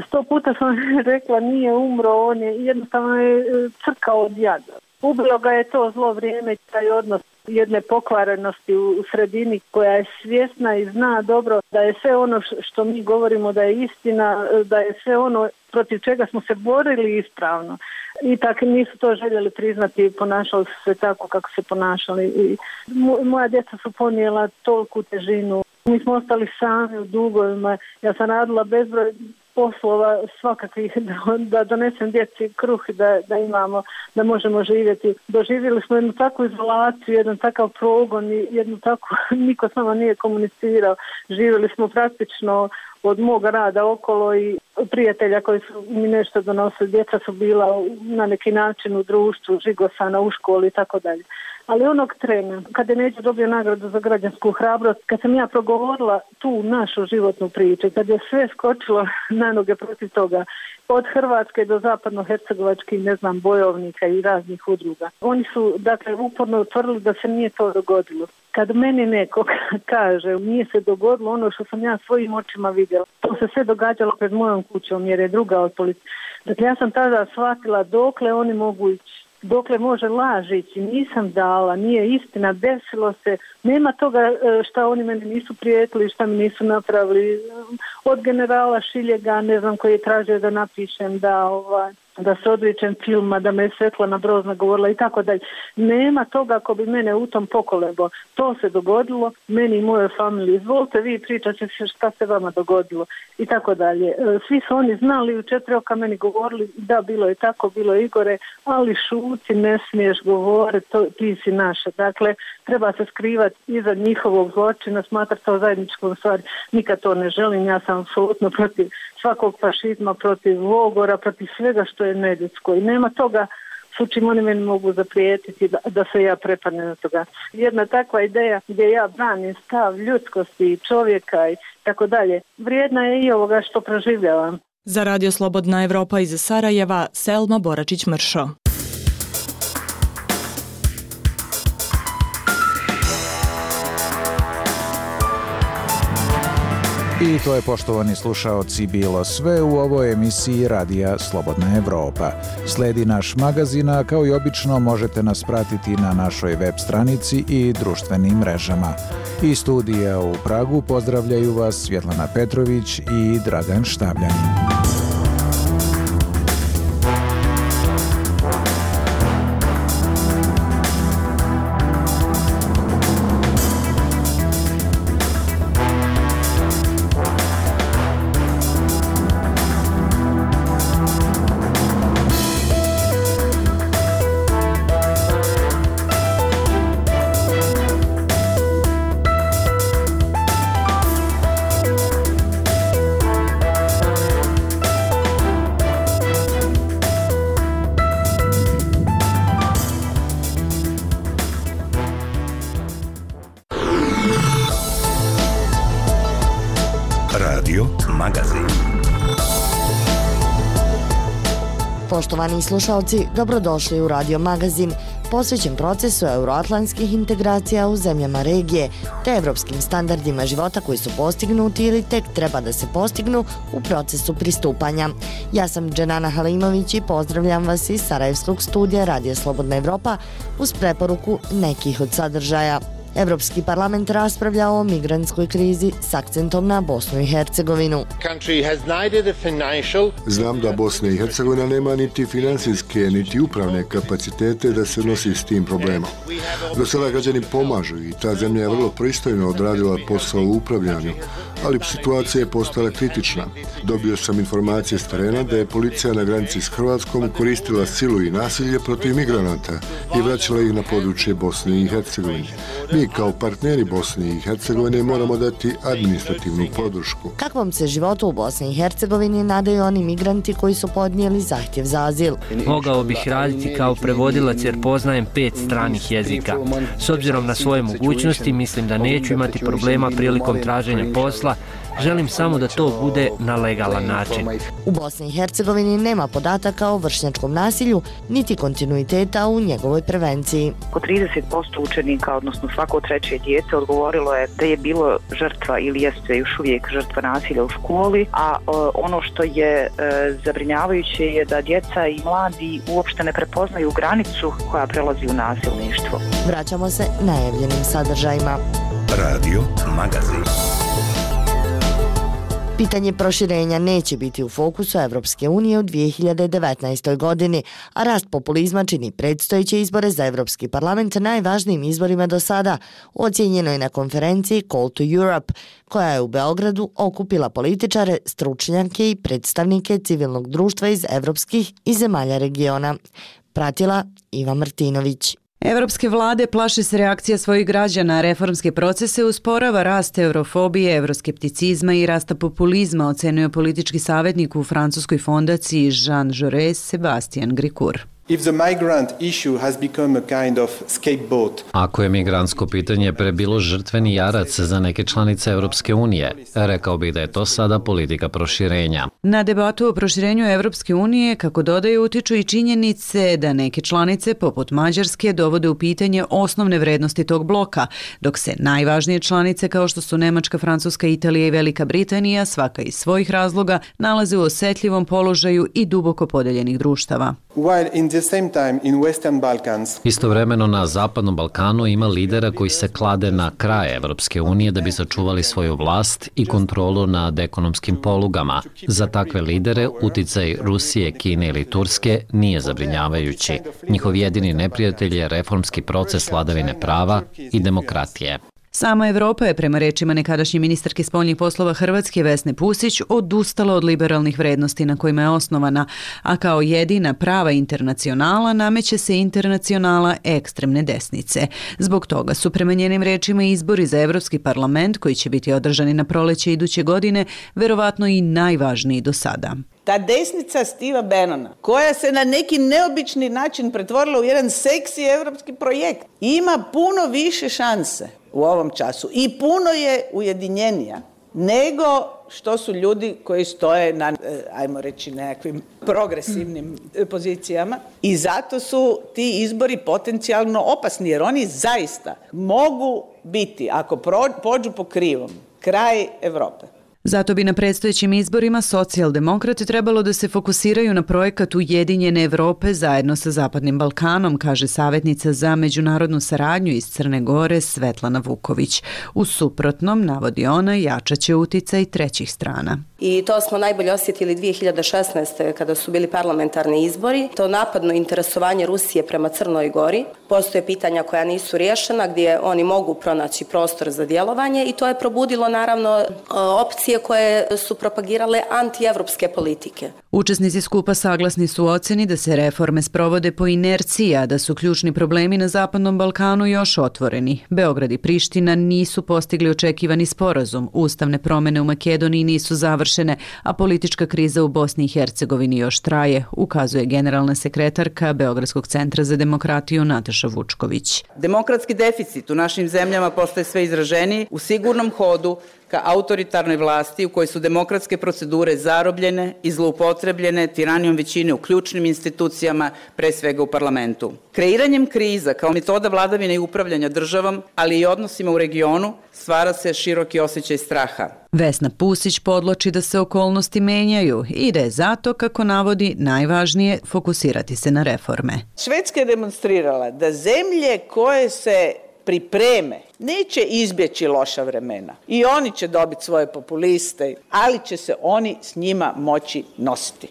sto puta sam rekla nije umro, on je jednostavno je crkao od jada. Ubilo ga je to zlo vrijeme, taj odnos jedne pokvarenosti u sredini koja je svjesna i zna dobro da je sve ono što mi govorimo da je istina, da je sve ono protiv čega smo se borili ispravno. I tako nisu to željeli priznati i ponašali su se tako kako se ponašali. I moja djeca su ponijela toliku težinu. Mi smo ostali sami u dugovima. Ja sam radila bezbroj poslova svakakvih da, da donesem djeci kruh da, da imamo, da možemo živjeti. Doživjeli smo jednu takvu izolaciju, jedan takav progon, jednu takvu, niko s nama nije komunicirao. Živjeli smo praktično od moga rada okolo i prijatelja koji su mi nešto donosili. Djeca su bila na neki način u društvu, žigosana u školi i tako dalje. Ali onog trena, kada je Neđo dobio nagradu za građansku hrabrost, kad sam ja progovorila tu našu životnu priču, kad je sve skočilo na noge protiv toga, od Hrvatske do zapadno-hercegovačkih, ne znam, bojovnika i raznih udruga. Oni su, dakle, uporno utvrdili da se nije to dogodilo. Kad meni neko kaže nije se dogodilo ono što sam ja svojim očima vidjela, to se sve događalo pred mojom kućom jer je druga od policije. Dakle, ja sam tada shvatila dokle oni mogu ići. Dokle može laž ići, nisam dala, nije istina, desilo se, nema toga šta oni meni nisu prijetili, šta mi nisu napravili. Od generala Šiljega, ne znam, koji je tražio da napišem, da ovaj, da se odričem filma, da me je Svetlana Brozna govorila i tako dalje. Nema toga ako bi mene u tom pokolebo. To se dogodilo, meni i mojoj familiji. Izvolite vi pričate šta se vama dogodilo i tako dalje. Svi su oni znali, u četiri oka meni govorili da bilo je tako, bilo je Igore, ali šuti, ne smiješ govoriti, to, ti si naša. Dakle, treba se skrivati iza njihovog zločina, smatrati to zajedničkom stvari. Nikad to ne želim, ja sam apsolutno protiv svakog fašizma, protiv logora, protiv svega što je neljudsko. I nema toga s čim oni meni mogu zaprijetiti da, da se ja prepadnem na toga. Jedna takva ideja gdje ja branim stav ljudskosti i čovjeka i tako dalje, vrijedna je i ovoga što proživljavam. Za Radio Slobodna Evropa iz Sarajeva, Selma Boračić-Mršo. I to je, poštovani slušaoci, bilo sve u ovoj emisiji Radija Slobodna Evropa. Sledi naš magazin, a kao i obično možete nas pratiti na našoj web stranici i društvenim mrežama. Iz studija u Pragu pozdravljaju vas Svjetlana Petrović i Dragan Štavljanin. Radio Magazin. Poštovani slušalci, dobrodošli u Radio Magazin, posvećen procesu euroatlantskih integracija u zemljama regije, te evropskim standardima života koji su postignuti ili tek treba da se postignu u procesu pristupanja. Ja sam Dženana Halimović i pozdravljam vas iz Sarajevskog studija Radija Slobodna Evropa uz preporuku nekih od sadržaja. Evropski parlament raspravlja o migrantskoj krizi s akcentom na Bosnu i Hercegovinu. Znam da Bosna i Hercegovina nema niti finansijske, niti upravne kapacitete da se nosi s tim problemom. Do sada građani pomažu i ta zemlja je vrlo pristojno odradila posao u upravljanju, ali situacija je postala kritična. Dobio sam informacije s terena da je policija na granici s Hrvatskom koristila silu i nasilje protiv migranata i vraćala ih na područje Bosne i Hercegovine. Mi kao partneri Bosne i Hercegovine moramo dati administrativnu podršku. Kakvom se životu u Bosni i Hercegovini nadaju oni migranti koji su podnijeli zahtjev za azil? Mogao bih raditi kao prevodilac jer poznajem pet stranih jezika. S obzirom na svoje mogućnosti mislim da neću imati problema prilikom traženja posla. Želim samo da to bude na legalan način. U Bosni i Hercegovini nema podataka o vršnjačkom nasilju, niti kontinuiteta u njegovoj prevenciji. Oko trideset posto učenika, odnosno svako treće dijete, odgovorilo je da je bilo žrtva ili jeste još uvijek žrtva nasilja u školi, a ono što je zabrinjavajuće je da djeca i mladi uopšte ne prepoznaju granicu koja prelazi u nasilništvo. Vraćamo se najavljenim sadržajima. Radio Magazin. Pitanje proširenja neće biti u fokusu Evropske unije u dvije hiljade devetnaestoj. godini, a rast populizma čini predstojeće izbore za Evropski parlament najvažnijim izborima do sada, ocijenjeno je na konferenciji Call to Europe, koja je u Beogradu okupila političare, stručnjake i predstavnike civilnog društva iz evropskih i zemalja regiona. Pratila Iva Martinović. Evropske vlade plaše se reakcija svojih građana, reformske procese usporava rast eurofobije, euroskepticizma i rasta populizma, ocenio politički savjetnik u francuskoj fondaciji Jean Jaurès Sebastian Gricourt. Ako je migrantsko pitanje prebilo žrtveni jarac za neke članice Evropske unije, rekao bih da je to sada politika proširenja. Na debatu o proširenju Evropske unije, kako dodaju, utiču i činjenice da neke članice, poput Mađarske, dovode u pitanje osnovne vrednosti tog bloka, dok se najvažnije članice, kao što su Nemačka, Francuska, Italija i Velika Britanija, svaka iz svojih razloga, nalaze u osetljivom položaju i duboko podeljenih društava. Istovremeno na Zapadnom Balkanu ima lidera koji se klade na kraj Evropske unije da bi sačuvali svoju vlast i kontrolu nad ekonomskim polugama. Za takve lidere uticaj Rusije, Kine ili Turske nije zabrinjavajući. Njihov jedini neprijatelj je reformski proces vladavine prava i demokratije. Sama Evropa je, prema rečima nekadašnje ministarke spoljnih poslova Hrvatske Vesne Pusić, odustala od liberalnih vrednosti na kojima je osnovana, a kao jedina prava internacionala nameće se internacionala ekstremne desnice. Zbog toga su, prema njenim rečima, izbori za Evropski parlament, koji će biti održani na proleće iduće godine, verovatno i najvažniji do sada. Ta desnica Steva Bannona, koja se na neki neobični način pretvorila u jedan seksi evropski projekt, ima puno više šanse u ovom času i puno je ujedinjenija nego što su ljudi koji stoje na, ajmo reći, nekakvim progresivnim pozicijama. I zato su ti izbori potencijalno opasni, jer oni zaista mogu biti, ako pođu po krivom, kraj Evrope. Zato bi na predstojećim izborima socijaldemokrati trebalo da se fokusiraju na projekat Ujedinjene Evrope zajedno sa Zapadnim Balkanom, kaže savjetnica za međunarodnu saradnju iz Crne Gore Svetlana Vuković. U suprotnom, navodi ona, jačaće uticaj trećih strana. I to smo najbolje osjetili dvije hiljade šesnaeste. kada su bili parlamentarni izbori. To napadno interesovanje Rusije prema Crnoj Gori. Postoje pitanja koja nisu riješena gdje oni mogu pronaći prostor za djelovanje i to je probudilo naravno opcije koje su propagirale antievropske politike. Učesnici skupa saglasni su u ocjeni da se reforme sprovode po inerciji, a da su ključni problemi na Zapadnom Balkanu još otvoreni. Beograd i Priština nisu postigli očekivani sporazum, ustavne promjene u Makedoniji nisu završene, a politička kriza u Bosni i Hercegovini još traje, ukazuje generalna sekretarka Beogradskog centra za demokratiju Nataša Vučković. Demokratski deficit u našim zemljama postaje sve izraženiji u sigurnom hodu ka autoritarnoj vlasti u kojoj su demokratske procedure zarobljene i zloupotrebljene tiranijom većine u ključnim institucijama, pre svega u parlamentu. Kreiranjem kriza kao metoda vladavine i upravljanja državom, ali i odnosima u regionu, stvara se široki osjećaj straha. Vesna Pusić podloči da se okolnosti menjaju i da je zato, kako navodi, najvažnije fokusirati se na reforme. Švedska je demonstrirala da zemlje koje se pripreme neće izbjeći loša vremena i oni će dobiti svoje populiste, ali će se oni s njima moći nositi.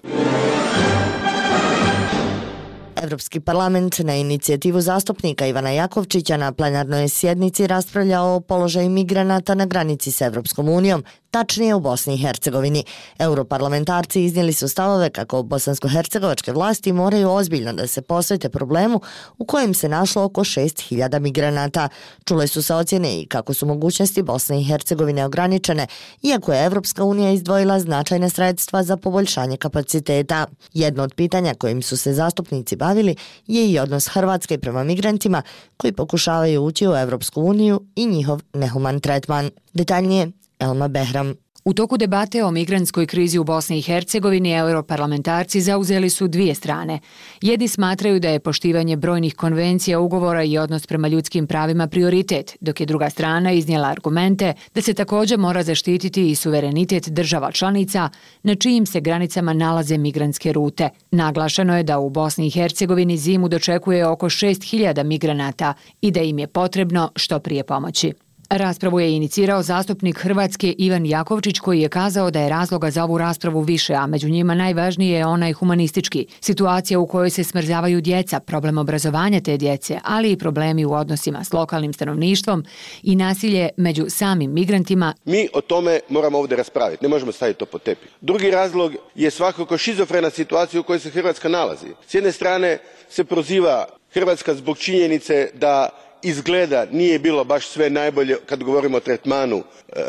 Evropski parlament na inicijativu zastupnika Ivana Jakovčića na plenarnoj sjednici raspravljao o položaju migranata na granici s Evropskom unijom, tačnije u Bosni i Hercegovini. Europarlamentarci iznijeli su stavove kako bosansko-hercegovačke vlasti moraju ozbiljno da se posvete problemu u kojem se našlo oko šest hiljada migranata. Čule su se ocjene i kako su mogućnosti Bosne i Hercegovine ograničene, iako je Evropska unija izdvojila značajne sredstva za poboljšanje kapaciteta. Jedno od pitanja kojim su se zastupnici bavili je i odnos Hrvatske prema migrantima koji pokušavaju ući u Evropsku uniju i njihov nehuman tretman. Detaljnije, Elma Behram. U toku debate o migrantskoj krizi u Bosni i Hercegovini europarlamentarci zauzeli su dvije strane. Jedni smatraju da je poštivanje brojnih konvencija, ugovora i odnos prema ljudskim pravima prioritet, dok je druga strana iznijela argumente da se također mora zaštititi i suverenitet država članica na čijim se granicama nalaze migrantske rute. Naglašeno je da u Bosni i Hercegovini zimu dočekuje oko šest hiljada migranata i da im je potrebno što prije pomoći. Raspravu je inicirao zastupnik Hrvatske Ivan Jakovčić, koji je kazao da je razloga za ovu raspravu više, a među njima najvažniji je onaj humanistički. Situacija u kojoj se smrzavaju djeca, problem obrazovanja te djece, ali i problemi u odnosima s lokalnim stanovništvom i nasilje među samim migrantima. Mi o tome moramo ovdje raspraviti, ne možemo staviti to pod tepih. Drugi razlog je svakako šizofrena situacija u kojoj se Hrvatska nalazi. S jedne strane se proziva Hrvatska zbog činjenice da izgleda nije bilo baš sve najbolje kad govorimo o tretmanu e,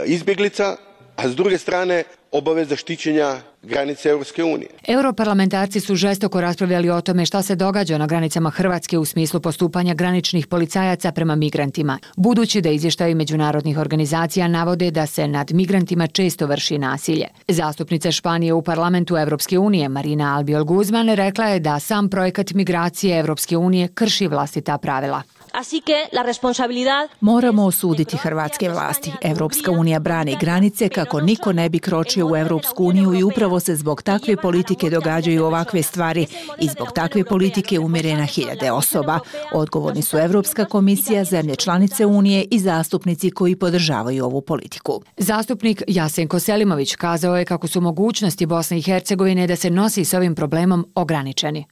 izbjeglica, a s druge strane obaveza štićenja granice Europske unije. Europarlamentarci su žestoko raspravljali o tome šta se događa na granicama Hrvatske u smislu postupanja graničnih policajaca prema migrantima, budući da izvještaji međunarodnih organizacija navode da se nad migrantima često vrši nasilje. Zastupnica Španije u parlamentu Europske unije Marina Albiol Guzman rekla je da sam projekat migracije Europske unije krši vlastita pravila. Moramo osuditi hrvatske vlasti. Evropska unija brani granice kako niko ne bi kročio u Evropsku uniju i upravo se zbog takve politike događaju ovakve stvari i zbog takve politike umire na hiljade osoba. Odgovorni su Evropska komisija, zemlje članice Unije i zastupnici koji podržavaju ovu politiku. Zastupnik Jasenko Selimović kazao je kako su mogućnosti Bosne i Hercegovine da se nosi s ovim problemom ograničeni.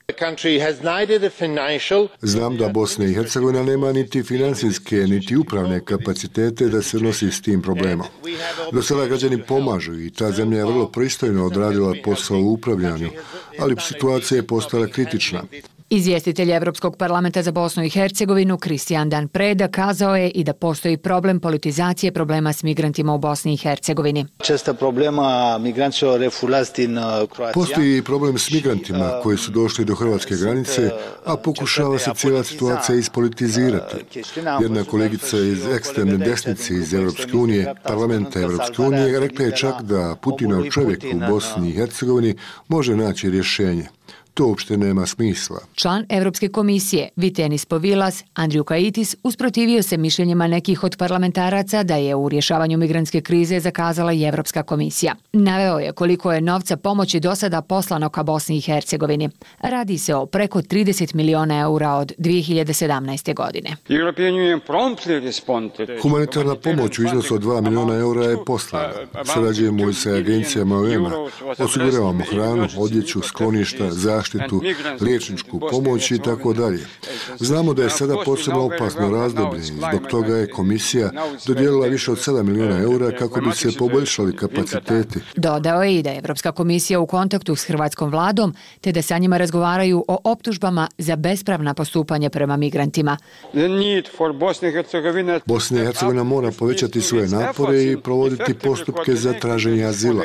Znam da Bosna i Hercegovina nema niti financijske, niti upravne kapacitete da se nosi s tim problemom. Do sada građani pomažu i ta zemlja je vrlo pristojno odradila posao u upravljanju, ali situacija je postala kritična. Izvjestitelj Evropskog parlamenta za Bosnu i Hercegovinu Kristijan Dan Preda kazao je i da postoji problem politizacije problema s migrantima u Bosni i Hercegovini. Postoji i problem s migrantima koji su došli do hrvatske granice, a pokušava se cijela situacija ispolitizirati. Jedna kolegica iz ekstremne desnice iz Evropske unije, parlamenta Evropske unije, rekla je čak da Putinov čovjek u Bosni i Hercegovini može naći rješenje. To uopšte nema smisla. Član Evropske komisije Vitenis Povilas, Andriju Kaitis, usprotivio se mišljenjima nekih od parlamentaraca da je u rješavanju migrantske krize zakazala i Evropska komisija. Naveo je koliko je novca pomoći do sada poslano ka Bosni i Hercegovini. Radi se o preko trideset miliona eura od dvije hiljade sedamnaeste. godine. Humanitarna pomoć u iznosu od dva miliona eura je poslana. Sarađujemo i sa agencijama O E M-a. Osiguravamo hranu, odjeću, skloništa, zaštitu, liječničku pomoć i tako dalje. Znamo da je sada posebno opasno razdoblje i zbog toga je komisija dodijelila više od sedam miliona eura kako bi se poboljšali kapaciteti. Dodao je i da je Evropska komisija u kontaktu s hrvatskom vladom te da sa njima razgovaraju o optužbama za bespravna postupanja prema migrantima. Bosna i Hercegovina mora povećati svoje napore i provoditi postupke za traženje azila.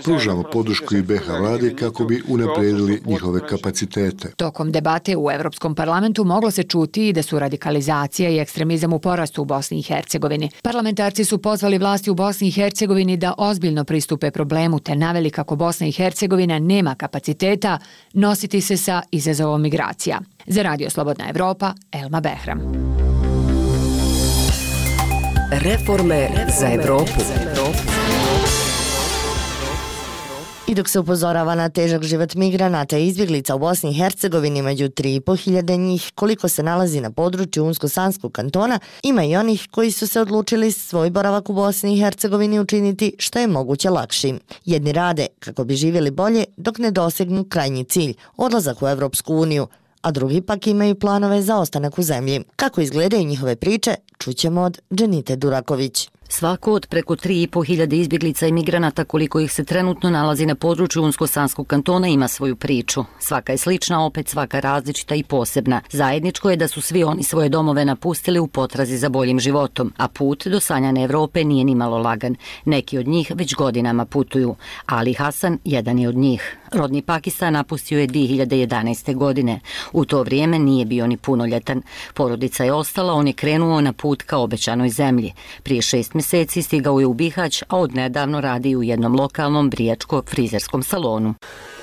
Pružamo podršku i B iH vladi kako bi unaprijedili njihov njihove kapacitete. Tokom debate u Evropskom parlamentu moglo se čuti i da su radikalizacija i ekstremizam u porastu u Bosni i Hercegovini. Parlamentarci su pozvali vlasti u Bosni i Hercegovini da ozbiljno pristupe problemu te naveli kako Bosna i Hercegovina nema kapaciteta nositi se sa izazovom migracija. Za Radio Slobodna Evropa, Elma Behram. Reforme za Evropu. I dok se upozorava na težak život migranata i izbjeglica u Bosni i Hercegovini među tri i po hiljade njih, koliko se nalazi na području Unsko-Sanskog kantona, ima i onih koji su se odlučili svoj boravak u Bosni i Hercegovini učiniti što je moguće lakšim. Jedni rade kako bi živjeli bolje dok ne dosegnu krajnji cilj, odlazak u Evropsku uniju, a drugi pak imaju planove za ostanak u zemlji. Kako izgledaju njihove priče, čućemo od Dženite Duraković. Svako od preko tri i po hiljade izbjeglica i migranata koliko ih se trenutno nalazi na području Unsko-Sanskog kantona ima svoju priču. Svaka je slična, opet svaka različita i posebna. Zajedničko je da su svi oni svoje domove napustili u potrazi za boljim životom, a put do sanjane Evrope nije ni malo lagan. Neki od njih već godinama putuju. Ali Hasan jedan je od njih. Rodni Pakistan napustio je dvije hiljade jedanaeste. godine. U to vrijeme nije bio ni punoljetan. Porodica je ostala, on je krenuo na put ka obećanoj zemlji. Prije šest mjeseci stigao je u Bihać, a odnedavno radi u jednom lokalnom brijačko-frizerskom salonu.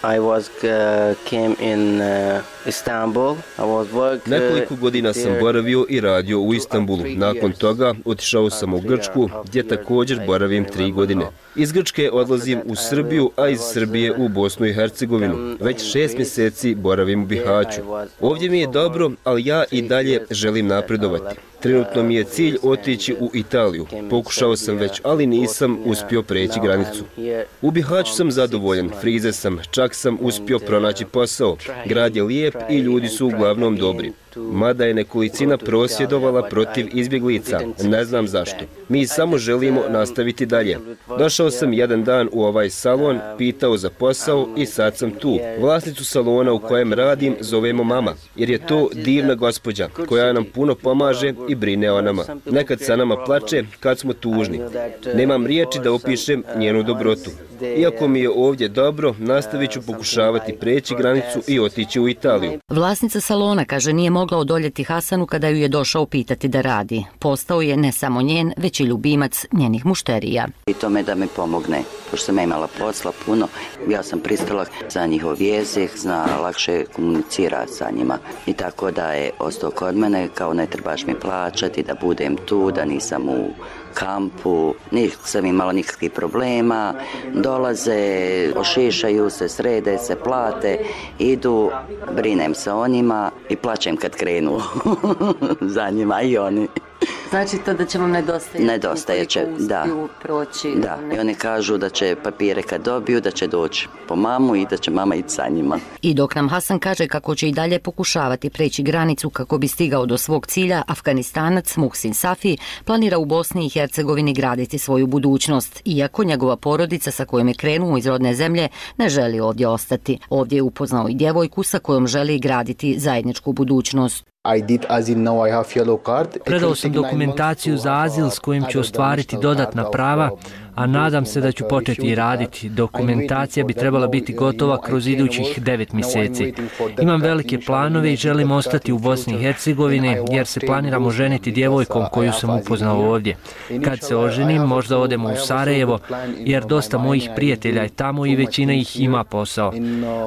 I was uh, came in uh, Istanbul. I was work, uh, Nekoliko godina sam boravio i radio u Istanbulu. Nakon toga otišao sam u Grčku, gdje također boravim tri godine. Iz Grčke odlazim u Srbiju, a iz Srbije u Bosnu i Hercegovinu. Već šest mjeseci boravim u Bihaću. Ovdje mi je dobro, ali ja i dalje želim napredovati. Trenutno mi je cilj otići u Italiju. Pokušao sam već, ali nisam uspio preći granicu. U Bihaću sam zadovoljan, frize sam, čak sam uspio pronaći posao. Grad je lijep i ljudi su uglavnom dobri. Mada je nekolicina prosvjedovala protiv izbjeglica, ne znam zašto. Mi samo želimo nastaviti dalje. Došao sam jedan dan u ovaj salon, pitao za posao i sad sam tu. Vlasnicu salona u kojem radim zovemo mama, jer je to divna gospođa koja nam puno pomaže i brine o nama. Nekad sa nama plače kad smo tužni. Nemam riječi da opišem njenu dobrotu. Iako mi je ovdje dobro, nastavit ću pokušavati preći granicu i otići u Italiju. Vlasnica salona kaže nije mogla odoljeti Hasanu kada ju je došao pitati da radi. Postao je ne samo njen, već i ljubimac njenih mušterija. I tome da mi pomogne, pošto sam imala posla puno, ja sam pristala za njihov jezik, zna lakše komunicirati sa njima. I tako da je ostao kod mene, kao ne trebaš mi plaćati, da budem tu, da nisam u kampu, nisam imala nikakvih problema, dolaze, ošišaju se, srede se, plate, idu, brinem se o njima i plaćem kad krenu za njima i oni. Znači to da će vam nedostajati? Nedostaje će, da. Proći, da. I oni kažu da će papire kad dobiju, da će doći po mamu i da će mama ići sa njima. I dok nam Hasan kaže kako će i dalje pokušavati preći granicu kako bi stigao do svog cilja, Afganistanac Muhsin Safi planira u Bosni i Hercegovini graditi svoju budućnost, iako njegova porodica sa kojom je krenuo iz rodne zemlje ne želi ovdje ostati. Ovdje je upoznao i djevojku sa kojom želi graditi zajedničku budućnost. Predao sam dokumentaciju za azil s kojim ću ostvariti dodatna prava, a nadam se da ću početi raditi. Dokumentacija bi trebala biti gotova kroz idućih devet mjeseci. Imam velike planove i želim ostati u Bosni i Hercegovini jer se planiram oženiti djevojkom koju sam upoznao ovdje. Kad se oženim, možda odemo u Sarajevo jer dosta mojih prijatelja je tamo i većina ih ima posao.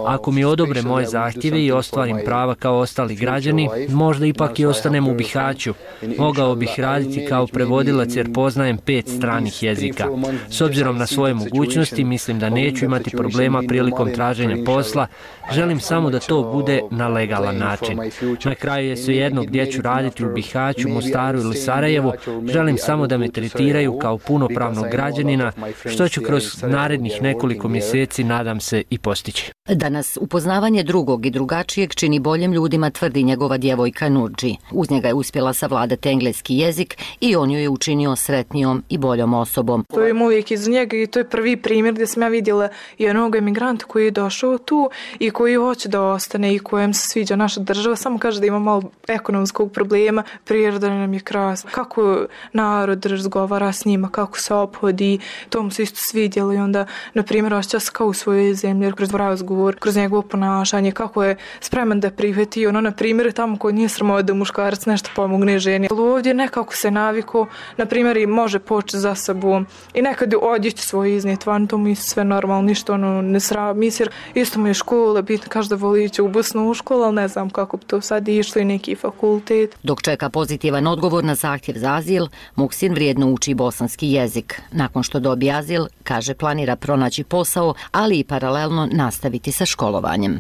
Ako mi odobre moje zahtjeve i ostvarim prava kao ostali građani, možda ipak i ostanem u Bihaću. Mogao bih raditi kao prevodilac jer poznajem pet stranih jezika. S obzirom na svoje mogućnosti, mislim da neću imati problema prilikom traženja posla. Želim samo da to bude na legalan način. Na kraju je svejedno gdje ću raditi, u Bihaću, Mostaru ili Sarajevu. Želim samo da me tretiraju kao punopravnog građanina, što ću kroz narednih nekoliko mjeseci, nadam se, i postići. Danas upoznavanje drugog i drugačijeg čini boljim ljudima, tvrdi njegova djevojka Nurđi. Uz njega je uspjela savladati engleski jezik i on ju je učinio sretnijom i boljom osobom. To je moj uvijek iz njega i to je prvi primjer gdje sam ja vidjela jednog emigranta koji je došao tu i koji hoće da ostane i kojem se sviđa naša država, samo kaže da ima malo ekonomskog problema, priroda nam je krasna, kako narod razgovara s njima, kako se ophodi, to mu se isto svidjelo i onda, na primjer, osjeća se kao u svojoj zemlji, kroz razgovor, kroz njegovo ponašanje, kako je spreman da prihvati, ono, na primjer, tamo koji nije sramota da muškarac nešto pomogne ženi. Ali ovdje nekako se naviko, na primjer, i može početi za sobom i nekad odjeći svoj iznijet van, to mu je sve normalno, ništa ono ne sram, jer isto mu je škola, bitno kaže da voli ići u busnu u školu, ali ne znam kako bi to sad išlo i neki fakultet. Dok čeka pozitivan odgovor na zahtjev za azil, Muksin vrijedno uči bosanski jezik. Nakon što dobije azil, kaže planira pronaći posao, ali i paralelno nastaviti sa školovanjem.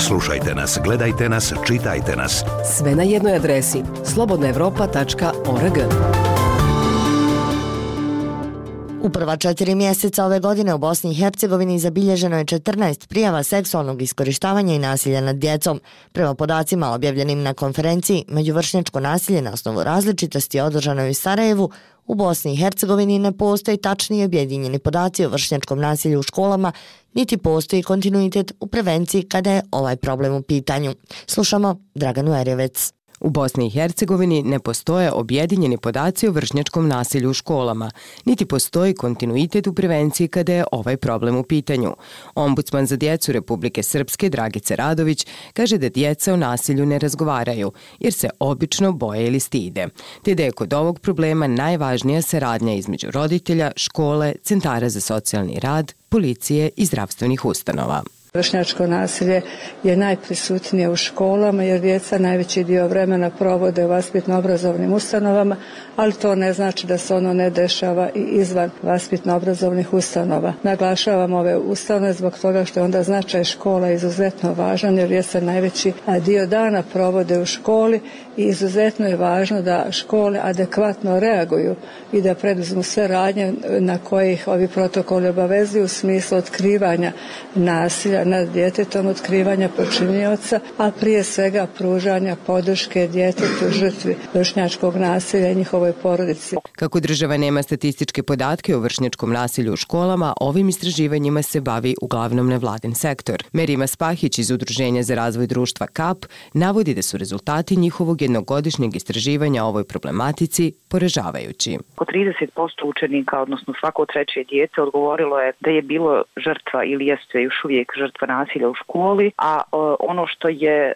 Slušajte nas, gledajte nas, čitajte nas. Sve na jednoj adresi slobodna evropa tačka org. U prva četiri mjeseca ove godine u Bosni i Hercegovini zabilježeno je četrnaest prijava seksualnog iskorištavanja i nasilja nad djecom. Prema podacima objavljenim na konferenciji Međuvršnjačko nasilje na osnovu različitosti održanoj u Sarajevu, u Bosni i Hercegovini ne postoji tačni objedinjeni podaci o vršnjačkom nasilju u školama, niti postoji kontinuitet u prevenciji kada je ovaj problem u pitanju. Slušamo Draganu Erjevec. U Bosni i Hercegovini ne postoje objedinjeni podaci o vršnjačkom nasilju u školama, niti postoji kontinuitet u prevenciji kada je ovaj problem u pitanju. Ombudsman za djecu Republike Srpske Dragica Radović kaže da djeca o nasilju ne razgovaraju, jer se obično boje ili stide, te da je kod ovog problema najvažnija saradnja između roditelja, škole, centara za socijalni rad, policije i zdravstvenih ustanova. Vršnjačko nasilje je najprisutnije u školama jer djeca najveći dio vremena provode u vaspitno-obrazovnim ustanovama, ali to ne znači da se ono ne dešava i izvan vaspitno-obrazovnih ustanova. Naglašavam ove ustanove zbog toga što je onda značaj škola izuzetno važan jer djeca najveći dio dana provode u školi i izuzetno je važno da škole adekvatno reaguju i da preduzmu sve radnje na kojih ovi protokoli obavezuju u smislu otkrivanja nasilja nad djetetom, otkrivanja počinioca, a prije svega pružanja podrške djetetu žrtvi vršnjačkog nasilja i njihovoj porodici. Kako država nema statističke podatke o vršnjačkom nasilju u školama, ovim istraživanjima se bavi uglavnom nevladin sektor. Merima Spahić iz Udruženja za razvoj društva K A P navodi da su rezultati njihovog jednogodišnjeg istraživanja o ovoj problematici poražavajući. Oko trideset posto učenika, odnosno svako treće dijete, odgovorilo je da je bilo žrtva ili jeste još uvijek žrtva nasilja u školi, a ono što je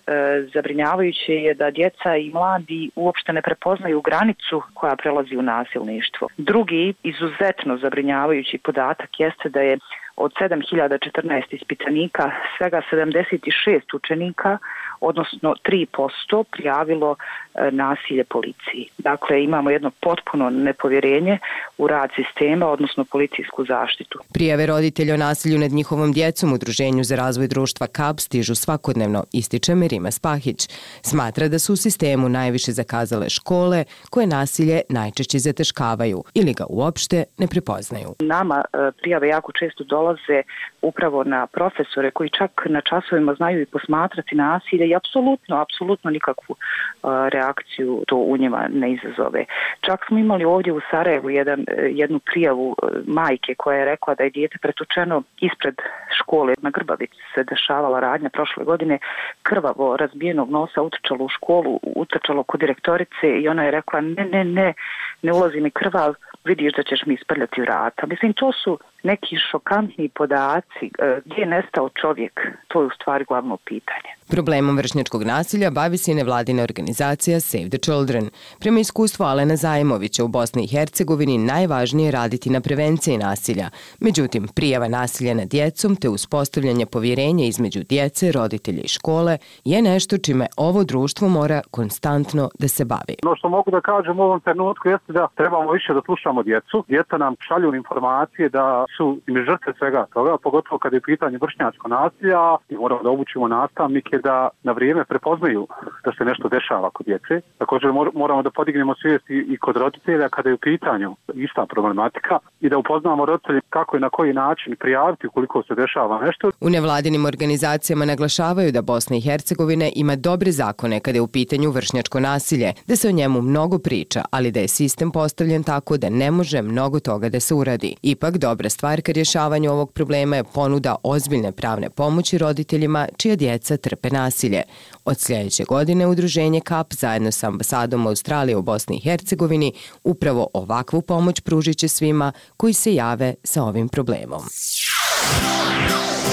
zabrinjavajuće je da djeca i mladi uopšte ne prepoznaju granicu koja prelazi u nasilništvo. Drugi izuzetno zabrinjavajući podatak jeste da je od sedam hiljada četrnaest ispitanika svega sedamdeset šest učenika, odnosno tri posto, prijavilo e, nasilje policiji. Dakle, imamo jedno potpuno nepovjerenje u rad sistema, odnosno policijsku zaštitu. Prijave roditelja o nasilju nad njihovom djecom Udruženju za razvoj društva K A P stižu svakodnevno, ističe Merima Spahić. Smatra da su u sistemu najviše zakazale škole koje nasilje najčešće zataškavaju ili ga uopšte ne prepoznaju. Nama e, prijave jako često dolaze upravo na profesore koji čak na časovima znaju i posmatrati nasilje i apsolutno, apsolutno nikakvu uh, reakciju to u njima ne izazove. Čak smo imali ovdje u Sarajevu jedan, jednu prijavu uh, majke koja je rekla da je dijete pretučeno ispred škole. Na Grbavici se dešavala radnja prošle godine, krvavo razbijenog nosa utrčalo u školu, utrčalo kod direktorice i ona je rekla ne, ne, ne, ne ulazi mi krvav, vidiš da ćeš mi isprljati vrata. Mislim, to su neki šokantni podaci. Gdje je nestao čovjek? To je u stvari glavno pitanje. Problemom vršnjačkog nasilja bavi se i nevladina organizacija Save the Children. Prema iskustvu Alena Zajemovića u Bosni i Hercegovini najvažnije je raditi na prevenciji nasilja. Međutim, prijava nasilja nad djecom te uspostavljanje povjerenja između djece, roditelja i škole je nešto čime ovo društvo mora konstantno da se bavi. No što mogu da kažem u ovom trenutku jeste da trebamo više da slušamo djecu. Djeca nam šalju informacije da su im žrtve svega toga, pogotovo kad je pitanje vršnjačko nasilja i moramo da obučimo nastavnike da na vrijeme prepoznaju da se nešto dešava kod djece. Također moramo da podignemo svijest i kod roditelja kada je u pitanju ista problematika i da upoznamo roditelje kako i na koji način prijaviti ukoliko se dešava nešto. U nevladinim organizacijama naglašavaju da Bosna i Hercegovina ima dobre zakone kada je u pitanju vršnjačko nasilje, da se o njemu mnogo priča, ali da je sistem postavljen tako da ne može mnogo toga da se uradi. Ipak, dobra stvar ka rješavanju ovog problema je ponuda ozbiljne pravne pomoći roditeljima čija djeca trpe nasilje. Od sljedeće godine udruženje K A P zajedno sa ambasadom Australije u Bosni i Hercegovini upravo ovakvu pomoć pružit će svima koji se jave sa ovim problemom.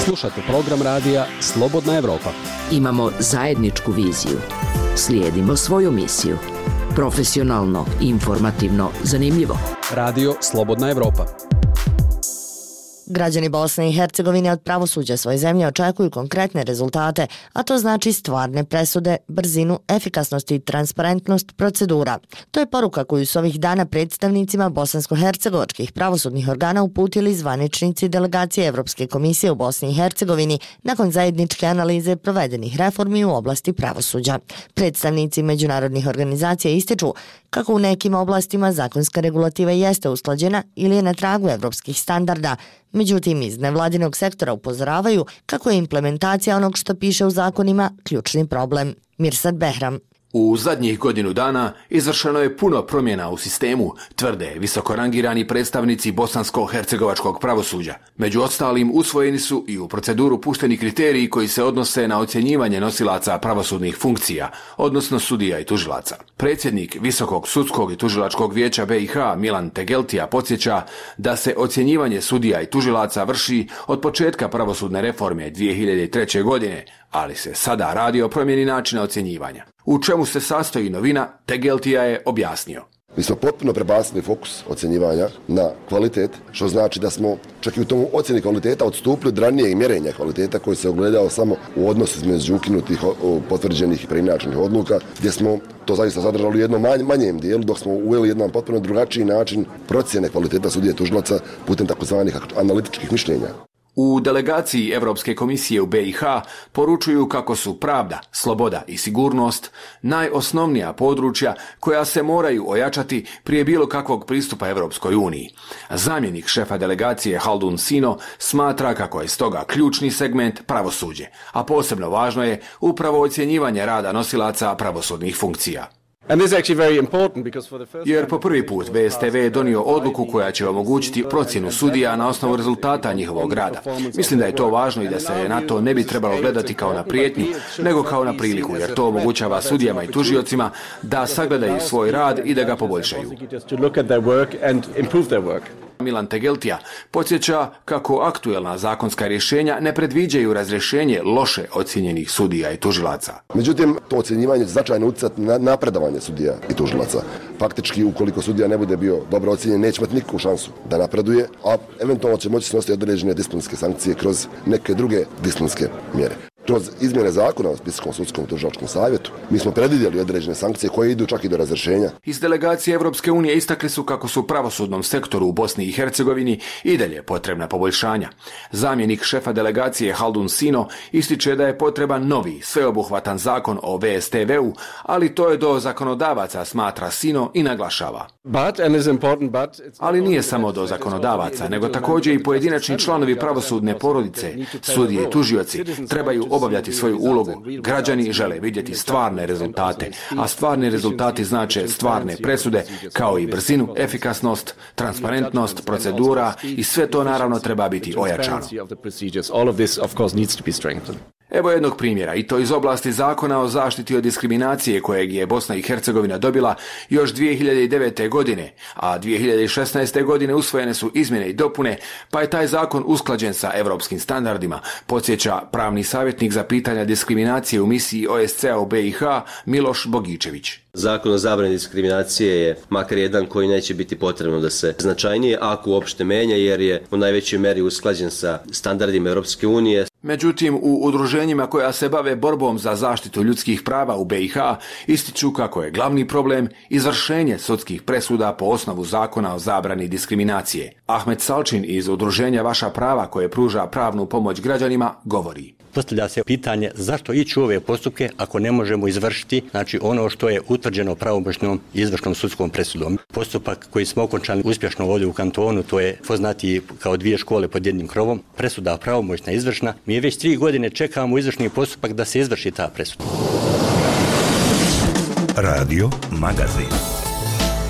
Slušate program radija Slobodna Evropa. Imamo zajedničku viziju. Slijedimo svoju misiju. Profesionalno, informativno, zanimljivo. Radio Slobodna Evropa. Građani Bosne i Hercegovine od pravosuđa svoje zemlje očekuju konkretne rezultate, a to znači stvarne presude, brzinu, efikasnost i transparentnost procedura. To je poruka koju su ovih dana predstavnicima bosansko-hercegovačkih pravosudnih organa uputili zvaničnici delegacije Evropske komisije u Bosni i Hercegovini nakon zajedničke analize provedenih reformi u oblasti pravosuđa. Predstavnici međunarodnih organizacija ističu kako u nekim oblastima zakonska regulativa jeste usklađena ili je na tragu evropskih standarda. Međutim, iz nevladinog sektora upozoravaju kako je implementacija onog što piše u zakonima ključni problem. Mirsad Behram. U zadnjih godinu dana izvršeno je puno promjena u sistemu, tvrde visokorangirani predstavnici bosansko-hercegovačkog pravosuđa. Među ostalim usvojeni su i u proceduru pušteni kriteriji koji se odnose na ocjenjivanje nosilaca pravosudnih funkcija, odnosno sudija i tužilaca. Predsjednik Visokog sudskog i tužilačkog vijeća B i H Milan Tegeltija podsjeća da se ocjenjivanje sudija i tužilaca vrši od početka pravosudne reforme dvije hiljade treće. godine, ali se sada radi o promjeni načina ocjenjivanja. U čemu se sastoji novina, Tegeltija je objasnio. Mi smo potpuno prebacili fokus ocjenjivanja na kvalitet, što znači da smo čak i u tom ocjeni kvaliteta odstupili od ranijeg mjerenja kvaliteta koji se ogledao samo u odnosu između ukinutih potvrđenih i preinačenih odluka, gdje smo to zaista zadržali u jednom manjem dijelu, dok smo uveli jedan potpuno drugačiji način procjene kvaliteta sudije i tužilaca putem takozvanih analitičkih mišljenja. U delegaciji Evropske komisije u B i H poručuju kako su pravda, sloboda i sigurnost najosnovnija područja koja se moraju ojačati prije bilo kakvog pristupa Evropskoj uniji. Zamjenik šefa delegacije Haldun Sino smatra kako je stoga ključni segment pravosuđe, a posebno važno je upravo ocjenjivanje rada nosilaca pravosudnih funkcija. Jer po prvi put B S T V je donio odluku koja će omogućiti procjenu sudija na osnovu rezultata njihovog rada. Mislim da je to važno i da se na to ne bi trebalo gledati kao na prijetnju, nego kao na priliku, jer to omogućava sudijama i tužiocima da sagledaju svoj rad i da ga poboljšaju. Milan Tegeltija podsjeća kako aktuelna zakonska rješenja ne predviđaju razrješenje loše ocjenjenih sudija i tužilaca. Međutim, to ocjenjivanje će značajno utjecati na napredovanje sudija i tužilaca. Faktički, ukoliko sudija ne bude bio dobro ocjenjen, neće imati nikakvu šansu da napreduje, a eventualno će moći snositi određene disciplinske sankcije kroz neke druge disciplinske mjere. Kroz izmjene zakona o Visokom sudskom i tužilačkom savjetu mi smo predvidjeli određene sankcije koje idu čak i do razrješenja. Iz delegacije Evropske unije istakli su kako su pravosudnom sektoru u Bosni i Hercegovini i dalje potrebna poboljšanja. Zamjenik šefa delegacije Haldun Sino ističe da je potreban novi, sveobuhvatan zakon o V S T V-u, ali to je do zakonodavaca, smatra Sino i naglašava. Ali nije samo do zakonodavaca, nego također i pojedinačni članovi pravosudne porodice, sudije i tužioci trebaju obavljati svoju ulogu. Građani žele vidjeti stvarne rezultate, a stvarni rezultati znače stvarne presude, kao i brzinu, efikasnost, transparentnost, procedura i sve to naravno treba biti ojačano. Evo jednog primjera, i to iz oblasti zakona o zaštiti od diskriminacije kojeg je Bosna i Hercegovina dobila još dvije hiljade devete. godine, a dvije hiljade šesnaeste. godine usvojene su izmjene i dopune, pa je taj zakon usklađen sa evropskim standardima, podsjeća pravni savjetnik za pitanja diskriminacije u misiji O S C-a u B i H Miloš Bogičević. Zakon o zabrani diskriminacije je makar jedan koji neće biti potrebno da se značajnije, ako uopšte menja, jer je u najvećoj meri usklađen sa standardima Europske unije. Međutim, u udruženjima koja se bave borbom za zaštitu ljudskih prava u B i H ističu kako je glavni problem izvršenje sudskih presuda po osnovu zakona o zabrani diskriminacije. Ahmed Salčin iz udruženja Vaša prava koje pruža pravnu pomoć građanima govori. Postavlja se pitanje zašto ići u ove postupke ako ne možemo izvršiti znači ono što je utvrđeno pravomoćnom izvršnom sudskom presudom. Postupak koji smo okončali uspješno ovdje u kantonu, to je poznati kao dvije škole pod jednim krovom, presuda pravomoćna izvršna. Mi već tri godine čekamo izvršni postupak da se izvrši ta presuda. Radio Magazin.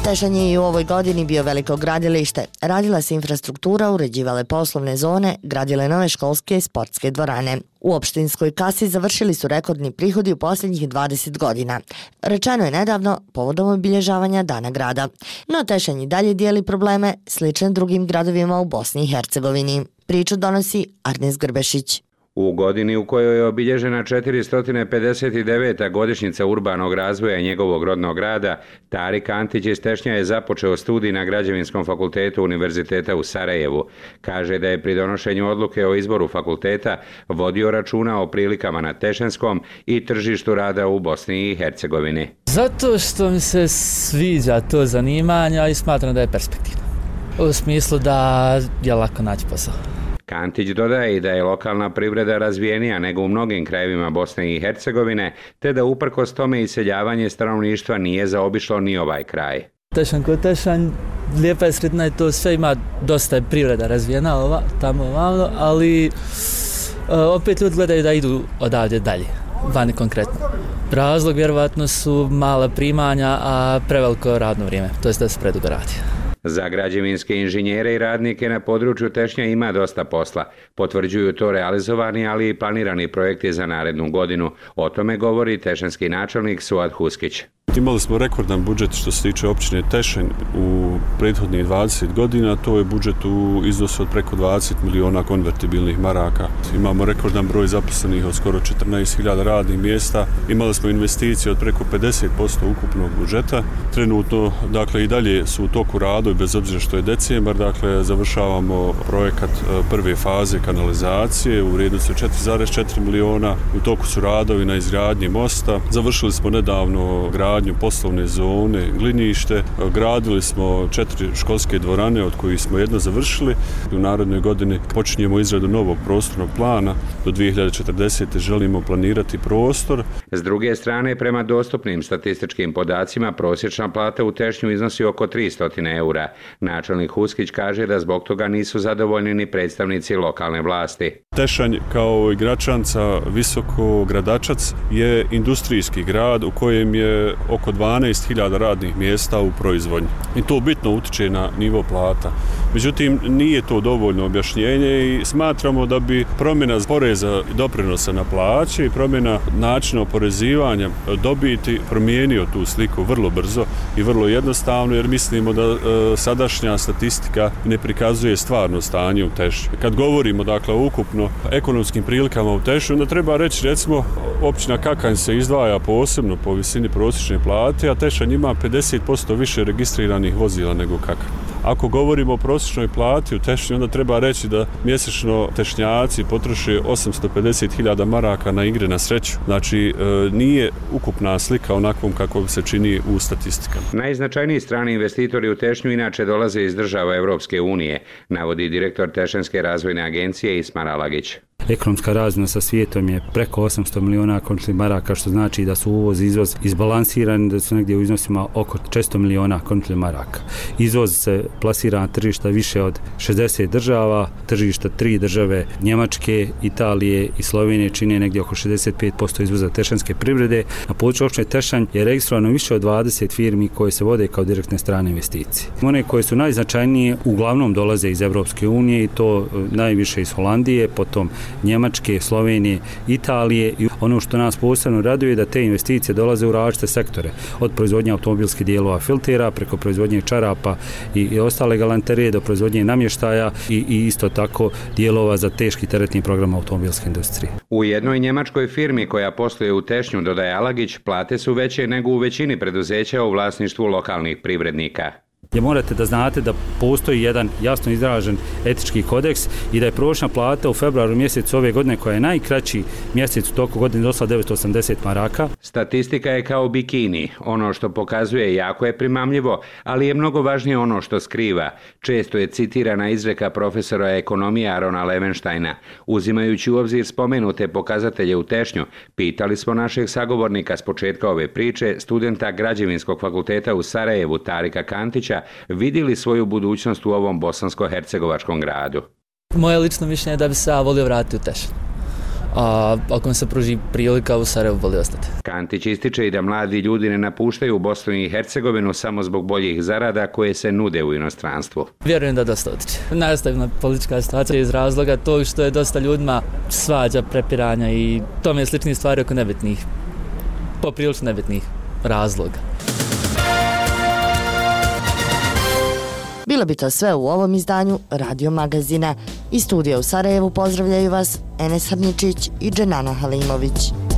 Tešanj je i u ovoj godini bio veliko gradilište. Radila se infrastruktura, uređivale poslovne zone, gradile nove školske i sportske dvorane. U opštinskoj kasi završili su rekordni prihodi u posljednjih dvadeset godina. Rečeno je nedavno povodom obilježavanja Dana grada. No Tešanj i dalje dijeli probleme slične drugim gradovima u Bosni i Hercegovini. Priču donosi Arnes Grbešić. U godini u kojoj je obilježena četiristo pedeset deveta godišnjica urbanog razvoja njegovog rodnog grada, Tarik Antić iz Tešnja je započeo studij na Građevinskom fakultetu Univerziteta u Sarajevu. Kaže da je pri donošenju odluke o izboru fakulteta vodio računa o prilikama na Tešanskom i tržištu rada u Bosni i Hercegovini. Zato što mi se sviđa to zanimanje i smatram da je perspektivno. U smislu da je lako naći posao. Kantić dodaje i da je lokalna privreda razvijenija nego u mnogim krajevima Bosne i Hercegovine, te da uprkos tome iseljavanje stanovništva nije zaobišlo ni ovaj kraj. Tešanj kod Tešanj, lijepa je sredina i to sve ima dosta je privreda razvijena ova, tamo ovamo, ali opet ljudi gledaju da idu odavdje dalje, vani konkretno. Razlog vjerovatno su mala primanja, a preveliko radno vrijeme, to je da se predugo radi. Za građevinske inženjere i radnike na području Tešnja ima dosta posla. Potvrđuju to realizovani, ali i planirani projekti za narednu godinu. O tome govori tešanski načelnik Suad Huskić. Imali smo rekordan budžet što se tiče općine Tešanj u prethodnih dvadeset godina, to je budžet u iznosu od preko dvadeset miliona konvertibilnih maraka. Imamo rekordan broj zaposlenih od skoro četrnaest hiljada radnih mjesta, imali smo investicije od preko pedeset posto ukupnog budžeta. Trenutno, dakle, i dalje su u toku radovi, bez obzira što je decembar, dakle, završavamo projekat prve faze kanalizacije u vrijednosti od četiri zarez četiri miliona, u toku su radovi na izgradnji mosta, završili smo nedavno gradnju poslovne zone, glinište, gradili smo četiri školske dvorane od kojih smo jedno završili. U narednoj godini počinjemo izradu novog prostornog plana. Do dvije hiljade četrdesete želimo planirati prostor. S druge strane, prema dostupnim statističkim podacima, prosječna plata u Tešnju iznosi oko tristo eura. Načelnik Huskić kaže da zbog toga nisu zadovoljni ni predstavnici lokalne vlasti. Tešanj kao i Gračanca, Visoko, Gradačac je industrijski grad u kojem je oko dvanaest hiljada radnih mjesta u proizvodnji. I to bitno utiče na nivo plata. Međutim, nije to dovoljno objašnjenje i smatramo da bi promjena poreza i doprinosa na plaće i promjena načina oporezivanja dobiti promijenio tu sliku vrlo brzo i vrlo jednostavno, jer mislimo da e, sadašnja statistika ne prikazuje stvarno stanje u Tešnju. Kad govorimo, dakle, o ukupno ekonomskim prilikama u Tešnju, onda treba reći, recimo, općina Kakanj se izdvaja posebno po visini prosječne plate, a Tešanj ima pedeset posto više registriranih vozila nego Kakanj. Ako govorimo o prosječnoj plati u Tešnju, onda treba reći da mjesečno Tešnjaci potroše osamsto pedeset hiljada maraka na igre na sreću. Znači, nije ukupna slika onakvom kako se čini u statistikama. Najznačajniji strani investitori u Tešnju inače dolaze iz država Evropske unije, navodi direktor Tešanske razvojne agencije Ismar Alagić. Ekonomska razmjena sa svijetom je preko osamsto miliona končnih maraka, što znači da su uvoz i izvoz izbalansirani, da su negdje u iznosima oko četiristo miliona končnih maraka. Izvoz se plasira na tržišta više od šezdeset država, tržišta tri države Njemačke, Italije i Slovenije čine negdje oko šezdeset pet posto izvoza tešanske privrede. Na području općine Tešanj je registrovano više od dvadeset firmi koje se vode kao direktne strane investicije. One koje su najznačajnije uglavnom dolaze iz Evropske unije i to najviše iz Holandije, potom Njemačke, Slovenije, Italije i ono što nas posebno raduje je da te investicije dolaze u različite sektore, od proizvodnje automobilskih dijelova filtera preko proizvodnje čarapa i, i ostale galanterije do proizvodnje namještaja i, i isto tako dijelova za teški teretni program automobilske industrije. U jednoj njemačkoj firmi koja posluje u Tešnju, dodaje Alagić, plate su veće nego u većini preduzeća u vlasništvu lokalnih privrednika. Je morate da znate da postoji jedan jasno izražen etički kodeks i da je prosječna plata u februaru mjesecu ove godine, koja je najkraći mjesec u toku godine, dosla devetsto osamdeset maraka. Statistika je kao bikini. Ono što pokazuje jako je primamljivo, ali je mnogo važnije ono što skriva. Često je citirana izreka profesora ekonomije Arona Levenštajna. Uzimajući u obzir spomenute pokazatelje u Tešnju, pitali smo našeg sagovornika s početka ove priče, studenta Građevinskog fakulteta u Sarajevu, Tarika Kantića, vidi li svoju budućnost u ovom bosansko-hercegovačkom gradu? Moje lično mišljenje je da bi se ja volio vratiti u Tešnju. A ako mi se pruži prilika, u Sarajevu volio ostati. Kantić ističe i da mladi ljudi ne napuštaju Bosnu i Hercegovinu samo zbog boljih zarada koje se nude u inostranstvu. Vjerujem da dosta utiče. Nastavna politička situacija iz razloga tog što je dosta ljudima svađa, prepiranja i tome sličnih stvari oko nebitnih, poprilično nebitnih razloga. Bilo bi to sve u ovom izdanju Radio Magazina. Iz studija u Sarajevu pozdravljaju vas Enes Harničić i Dženana Halimović.